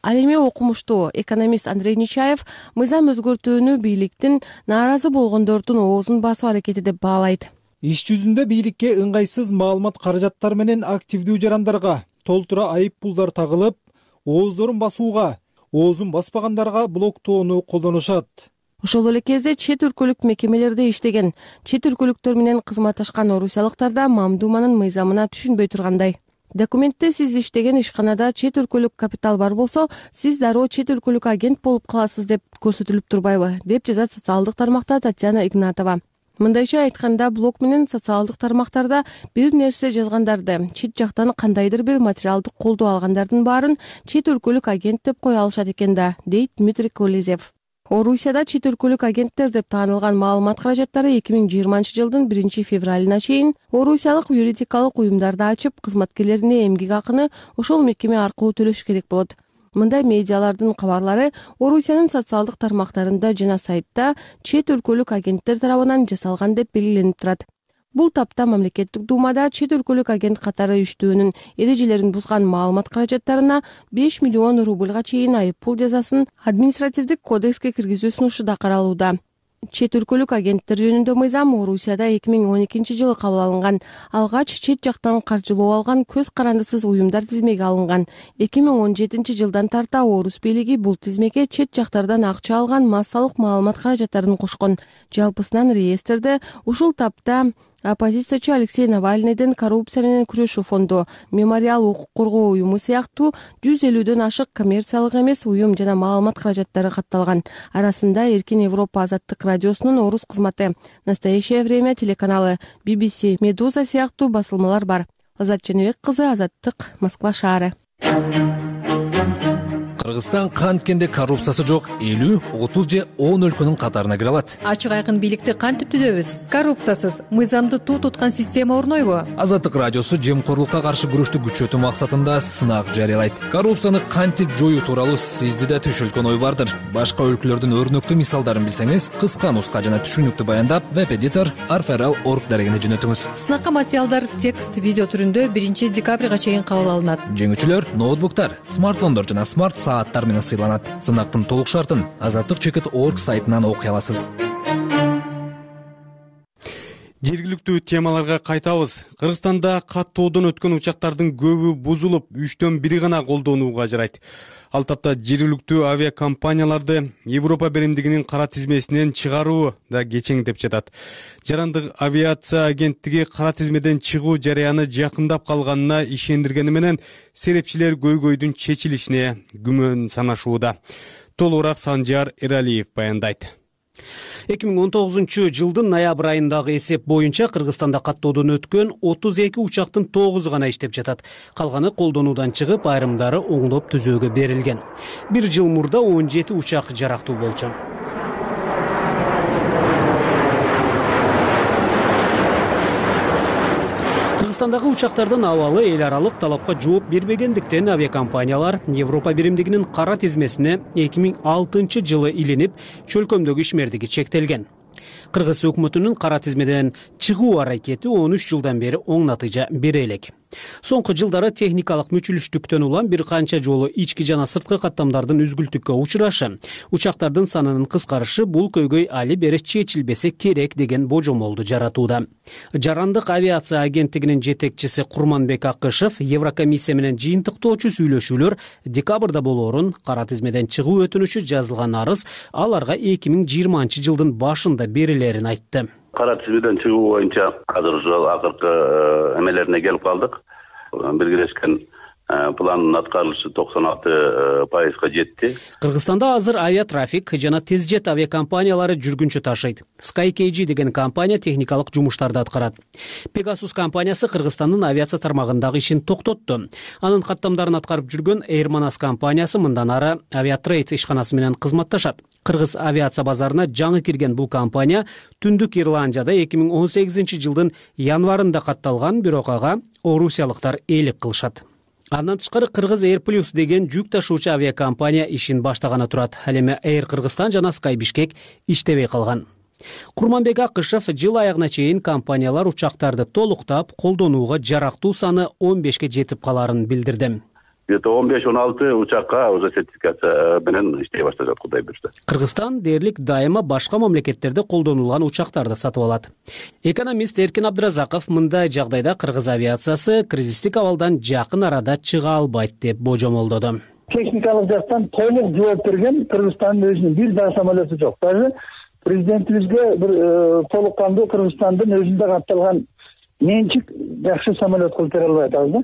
Ал эми окумуштуу экономист Андрей Нечаев мыйзам өзгөртүүнү бийликтин нааразы болгондордун оозун басуу аракети деп баалайт. Иш жүзүндө бийликке ыңгайсыз маалымат каражаттар менен активдүү жарандарга толтура айып пулдар тагылып, ооздорун басууга, оозун баспагандарга блоктоону колдонушат. Ошол эле кезде чет өлкөлүк мекемелерде иштеген, чет өлкөлүктөр менен кызматташкан орусиялыктар да мамдуманын мыйзамына түшүнбөй тургандай. Документте сиз иштеген ишканада чет өлкөлүк капитал бар болсо, сиз дароо чет өлкөлүк агент болуп каласыз деп көрсөтүлүп турбайбы, деп жазат социалдык тармакта Татьяна Игнатова. Мындайча айтканда, блог менен социалдык тармактарда бир нерсе жазгандарды, чет жактан кандайдыр бир материалдык колдоо алгандардын баарын чет өлкөлүк агент деп кое алышат экен да, дейт Дмитрий Колезев. Орусияда чет өлкөлүк агенттер деп таанылган маалымат каражаттары эки миң жыйырманчы жылдын биринчи февралына чейин орусиялык юридикалык уюмдарды ачып, кызматкерлерине эмгек акыны ошол мекеме аркылуу төлөш керек болот. Мындай медиалардын кабарлары Орусиянын социалдык тармактарында жана сайтта чет өлкөлүк агенттер тарабынан жасалган деп белгиленип турат. Бул тапта мамлекеттик думада чет өлкөлүк агент катары иштөөнүн эрежелерин бузган маалымат каражаттарына беш миллион рубльга чейин айып пул жазасын административдик кодекске киргизүү сунушу да каралууда. Чет өлкөлүк агенттер жөнүндө мыйзам Орусияда эки миң он экинчи жылы кабыл алынган. Алгач чет жактан каржылоо алган көз карандысыз уюмдар тизмеге алынган. эки миң он жетинчи жылдан тарта Орус бийлиги бул тизмеге чет жактардан акча алган массалык маалымат каражаттарын кошкон. Жалпысынан реестрде ушул тапта оппозициячы Алексей Навальныйдын коррупция менен күрөшүү фонду, Мемориал укук коргоо уюму сыяктуу жүз элүүдөн ашык коммерциялык эмес уюм жана маалымат каражаттары катталган. Арасында Эркин Европа азаттык радиосунун орус кызматы, Настоящее время телеканалы, би би си, Медуза сыяктуу басылмалар бар. Азат Женебек кызы, Азаттык, Москва шаары. Кыргызстан канткенде коррупциясы жок элүү, отуз же он өлкөнүн катарына кире алат. Ачык айкын бийликти кантип түзөбүз? Коррупциясыз, мыйзамды туу туткан система орнойбу? Азаттык радиосу жемкорлукка каршы күрөштү күчөтүү максатында сынак жарыялайт. Коррупцияны кантип жоюу тууралуу сизде да түшүлгөн ой бардыр. Башка өлкөлөрдүн өрнөктүү мисалдарын билсеңиз, кыска нуска жана түшүнүктүү баяндап, веб-эдитор арферал точка орг дарегине жөнөтүңүз. Сынакка материалдар текст, видео түрүндө биринчи декабрга чейин кабыл алынат. Жеңүүчүлөр ноутбуктар, смартфондор жана смарт сааттар менен сыйланат. Сынактын толук шартын азаттык чекит точка орг сайтынан окуй аласыз. Жергиликтүү темаларга кайтабыз. Кыргызстанда каттоодон өткөн учактардын көбү бузулуп, үчтөн бири гана колдонууга жарайт. Ал тапта жергиликтүү авиакомпанияларды Европа биримдигинин кара тизмесинен чыгаруу да кечең деп жатат. Жарандык авиация агенттиги кара тизмеден чыгуу жарыяны жакындап калганына ишендиргени менен серепчилер көйгөйдүн чечилишине күмөн санашууда. Толугураак Санжар Эралиев баяндайт. эки миң он тогузунчу жылдын ноябрь айындагы эсеп боюнча Кыргызстанда каттоодон өткөн отуз эки учактын тогузу гана иштеп жатат. Калганы колдонуудан чыгып, айрымдары оңдоп түзөөгө берилген. Бир жыл мурда он жети учак жарактуу болчу. Кыргызстандагы учактардын абалы эл аралык талапка жооп бербегендиктен авиакомпаниялар Европа биримдигинин кара тизмесине эки миң алтынчы жылы илинип, чөлкөмдөгү ишмердиги чектелген. Кыргыз өкмөтүнүн кара тизмеден чыгуу аракети он үч жылдан бери оң натыйжа бере элек. Соңку жылдары техникалык мүчүлүштүктөн улам бир канча жолу ички жана сырткы каттамдардын үзгүлтүккө учурашы, учактардын санынын кыскарышы бул көйгөй али бери чечилбесе керек деген божомолду жаратууда. Жарандык авиация агенттигинин жетекчиси Курманбек Акышев Еврокомиссия менен жыйынтыктоочу сүйлөшүүлөр декабрда болоорун, кара тизмеден чыгуу өтүнүшү жазылган арыз аларга эки миң жыйырманчы жылдын башында берилерин айтты. Кара тизмеден чыгуу боюнча азыр ушул акыркы эмелерине келип калдык. Биргелешкен пландын аткарылышы токсон алты пайызга жетти. Кыргызстанда азыр авиатрафик жана тезжет авиакомпаниялары жүргүнчү ташыйт. SkyKG деген компания техникалык жумуштарды аткарат. Pegasus компаниясы Кыргызстандын авиация тармагындагы ишин токтотту. Анын каттамдарын аткарып жүргөн Airmanas компаниясы мындан ары Aviatrade ишканасы менен кызматташат. Кыргыз авиация базарына жаңы кирген бул компания Түндүк Ирландияда эки миң он сегизинчи жылдын январында катталган, бирок ага орусиялыктар ээлик кылышат. Андан тышкары Кыргыз Air Plus деген жүк ташуучу авиакомпания ишин баштаганы турат. Ал эми Air Кыргызстан жана Sky Bishkek иштебей калган. Курманбек Акышев жыл аягына чейин компаниялар учактарды толуктап, колдонууга жарактуу саны он бешке жетип каларын билдирди. Где-то он беш он алты учакка уже сертификация менен иштей башташат, Кудай буйрса. Кыргызстан дээрлик дайыма башка мамлекеттерде колдонулган учактарды сатып алат. Экономист Эркин Абдыразаков мындай жагдайда Кыргыз авиациясы кризистик абалдан жакын арада чыга албайт деп божомолдоду. Техникалык жактан толук жооп берген Кыргызстандын өзүнүн бир дагы самолету жок. Даже президентибизге бир толук кандуу Кыргызстандын өзүндө катталган менчик жакшы самолет кылып бере албай атабыз да.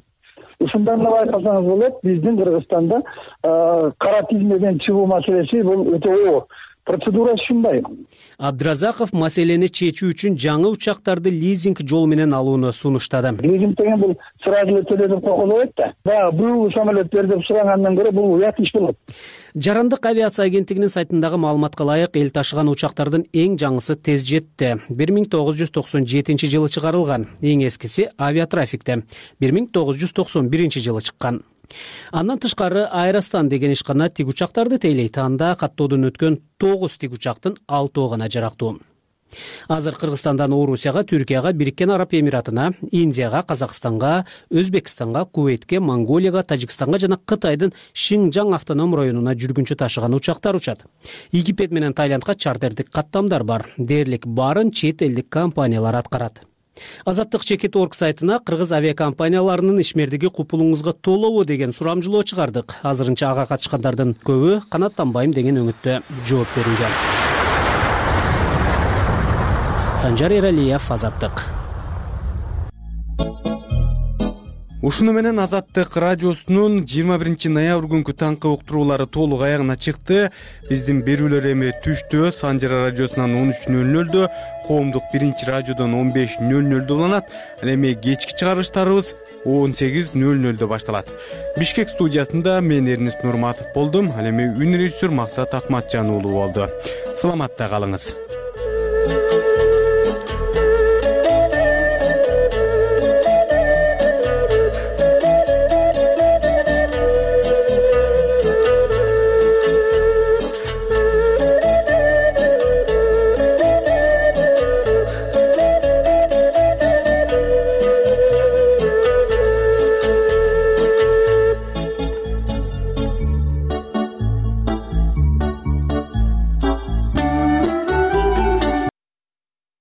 Ушундан да байкасаңыз болот, биздин Кыргызстанда кара тизмеден чыгуу маселеси бул өтө оор. Процедура ушундай. Абдыразаков маселени чечүү үчүн жаңы учактарды лизинг жол менен алууну сунуштады. Лизинг деген бул сразу эле төлөп койгулайт да. Баягы бул самолет бер деп сурагандан көрө бул уят иш болот. Жарандык авиация агенттигинин сайтындагы маалыматка ылайык, эл ташыган учактардын эң жаңысы Тезжетте бир миң тогуз жүз токсон жетинчи жылы чыгарылган, эң эскиси Авиатрафикте бир миң тогуз жүз токсон биринчи жылы чыккан. Андан тышкары Аэростан деген ишкана тик учактарды тейлейт. Анда каттоодон өткөн тогуз тик учактын алтоо гана жарактуу. Азыр Кыргызстандан Орусияга, Түркияга, Бириккен Араб Эмиратына, Индияга, Казакстанга, Өзбекстанга, Кувейтке, Монголияга, Тажикстанга жана Кытайдын Шинжаң автоном районуна жүргүнчү ташыган учактар учат. Египет менен Тайландга чартердик каттамдар бар. Дээрлик баарын чет элдик компаниялар аткарат. Азаттык чекит точка орг сайтына Кыргыз авиакомпанияларынын ишмердиги купулуңузга толобу деген сурамжылоо чыгардык. Азырынча ага катышкандардын көбү канаттанбайм деген өңүттө жооп берүүдө. Санжар Эралиев, Азаттык. ушуну менен Азаттык радиосунун жыйырма биринчи ноябрь күнкү таңкы уктуруулары толук аягына чыкты. Биздин берүүлөр эми түштө Санжара радиосунан он үч нөл нөлдө, коомдук биринчи радиодон он беш нөл нөлдө уланат. Ал эми кечки чыгарыштарыбыз он сегиз нөл нөлдө башталат. Бишкек студиясында мен Эрнис Нурматов болдум. Ал эми үн режиссер Максат Акматжан уулу болду. Саламатта калыңыз.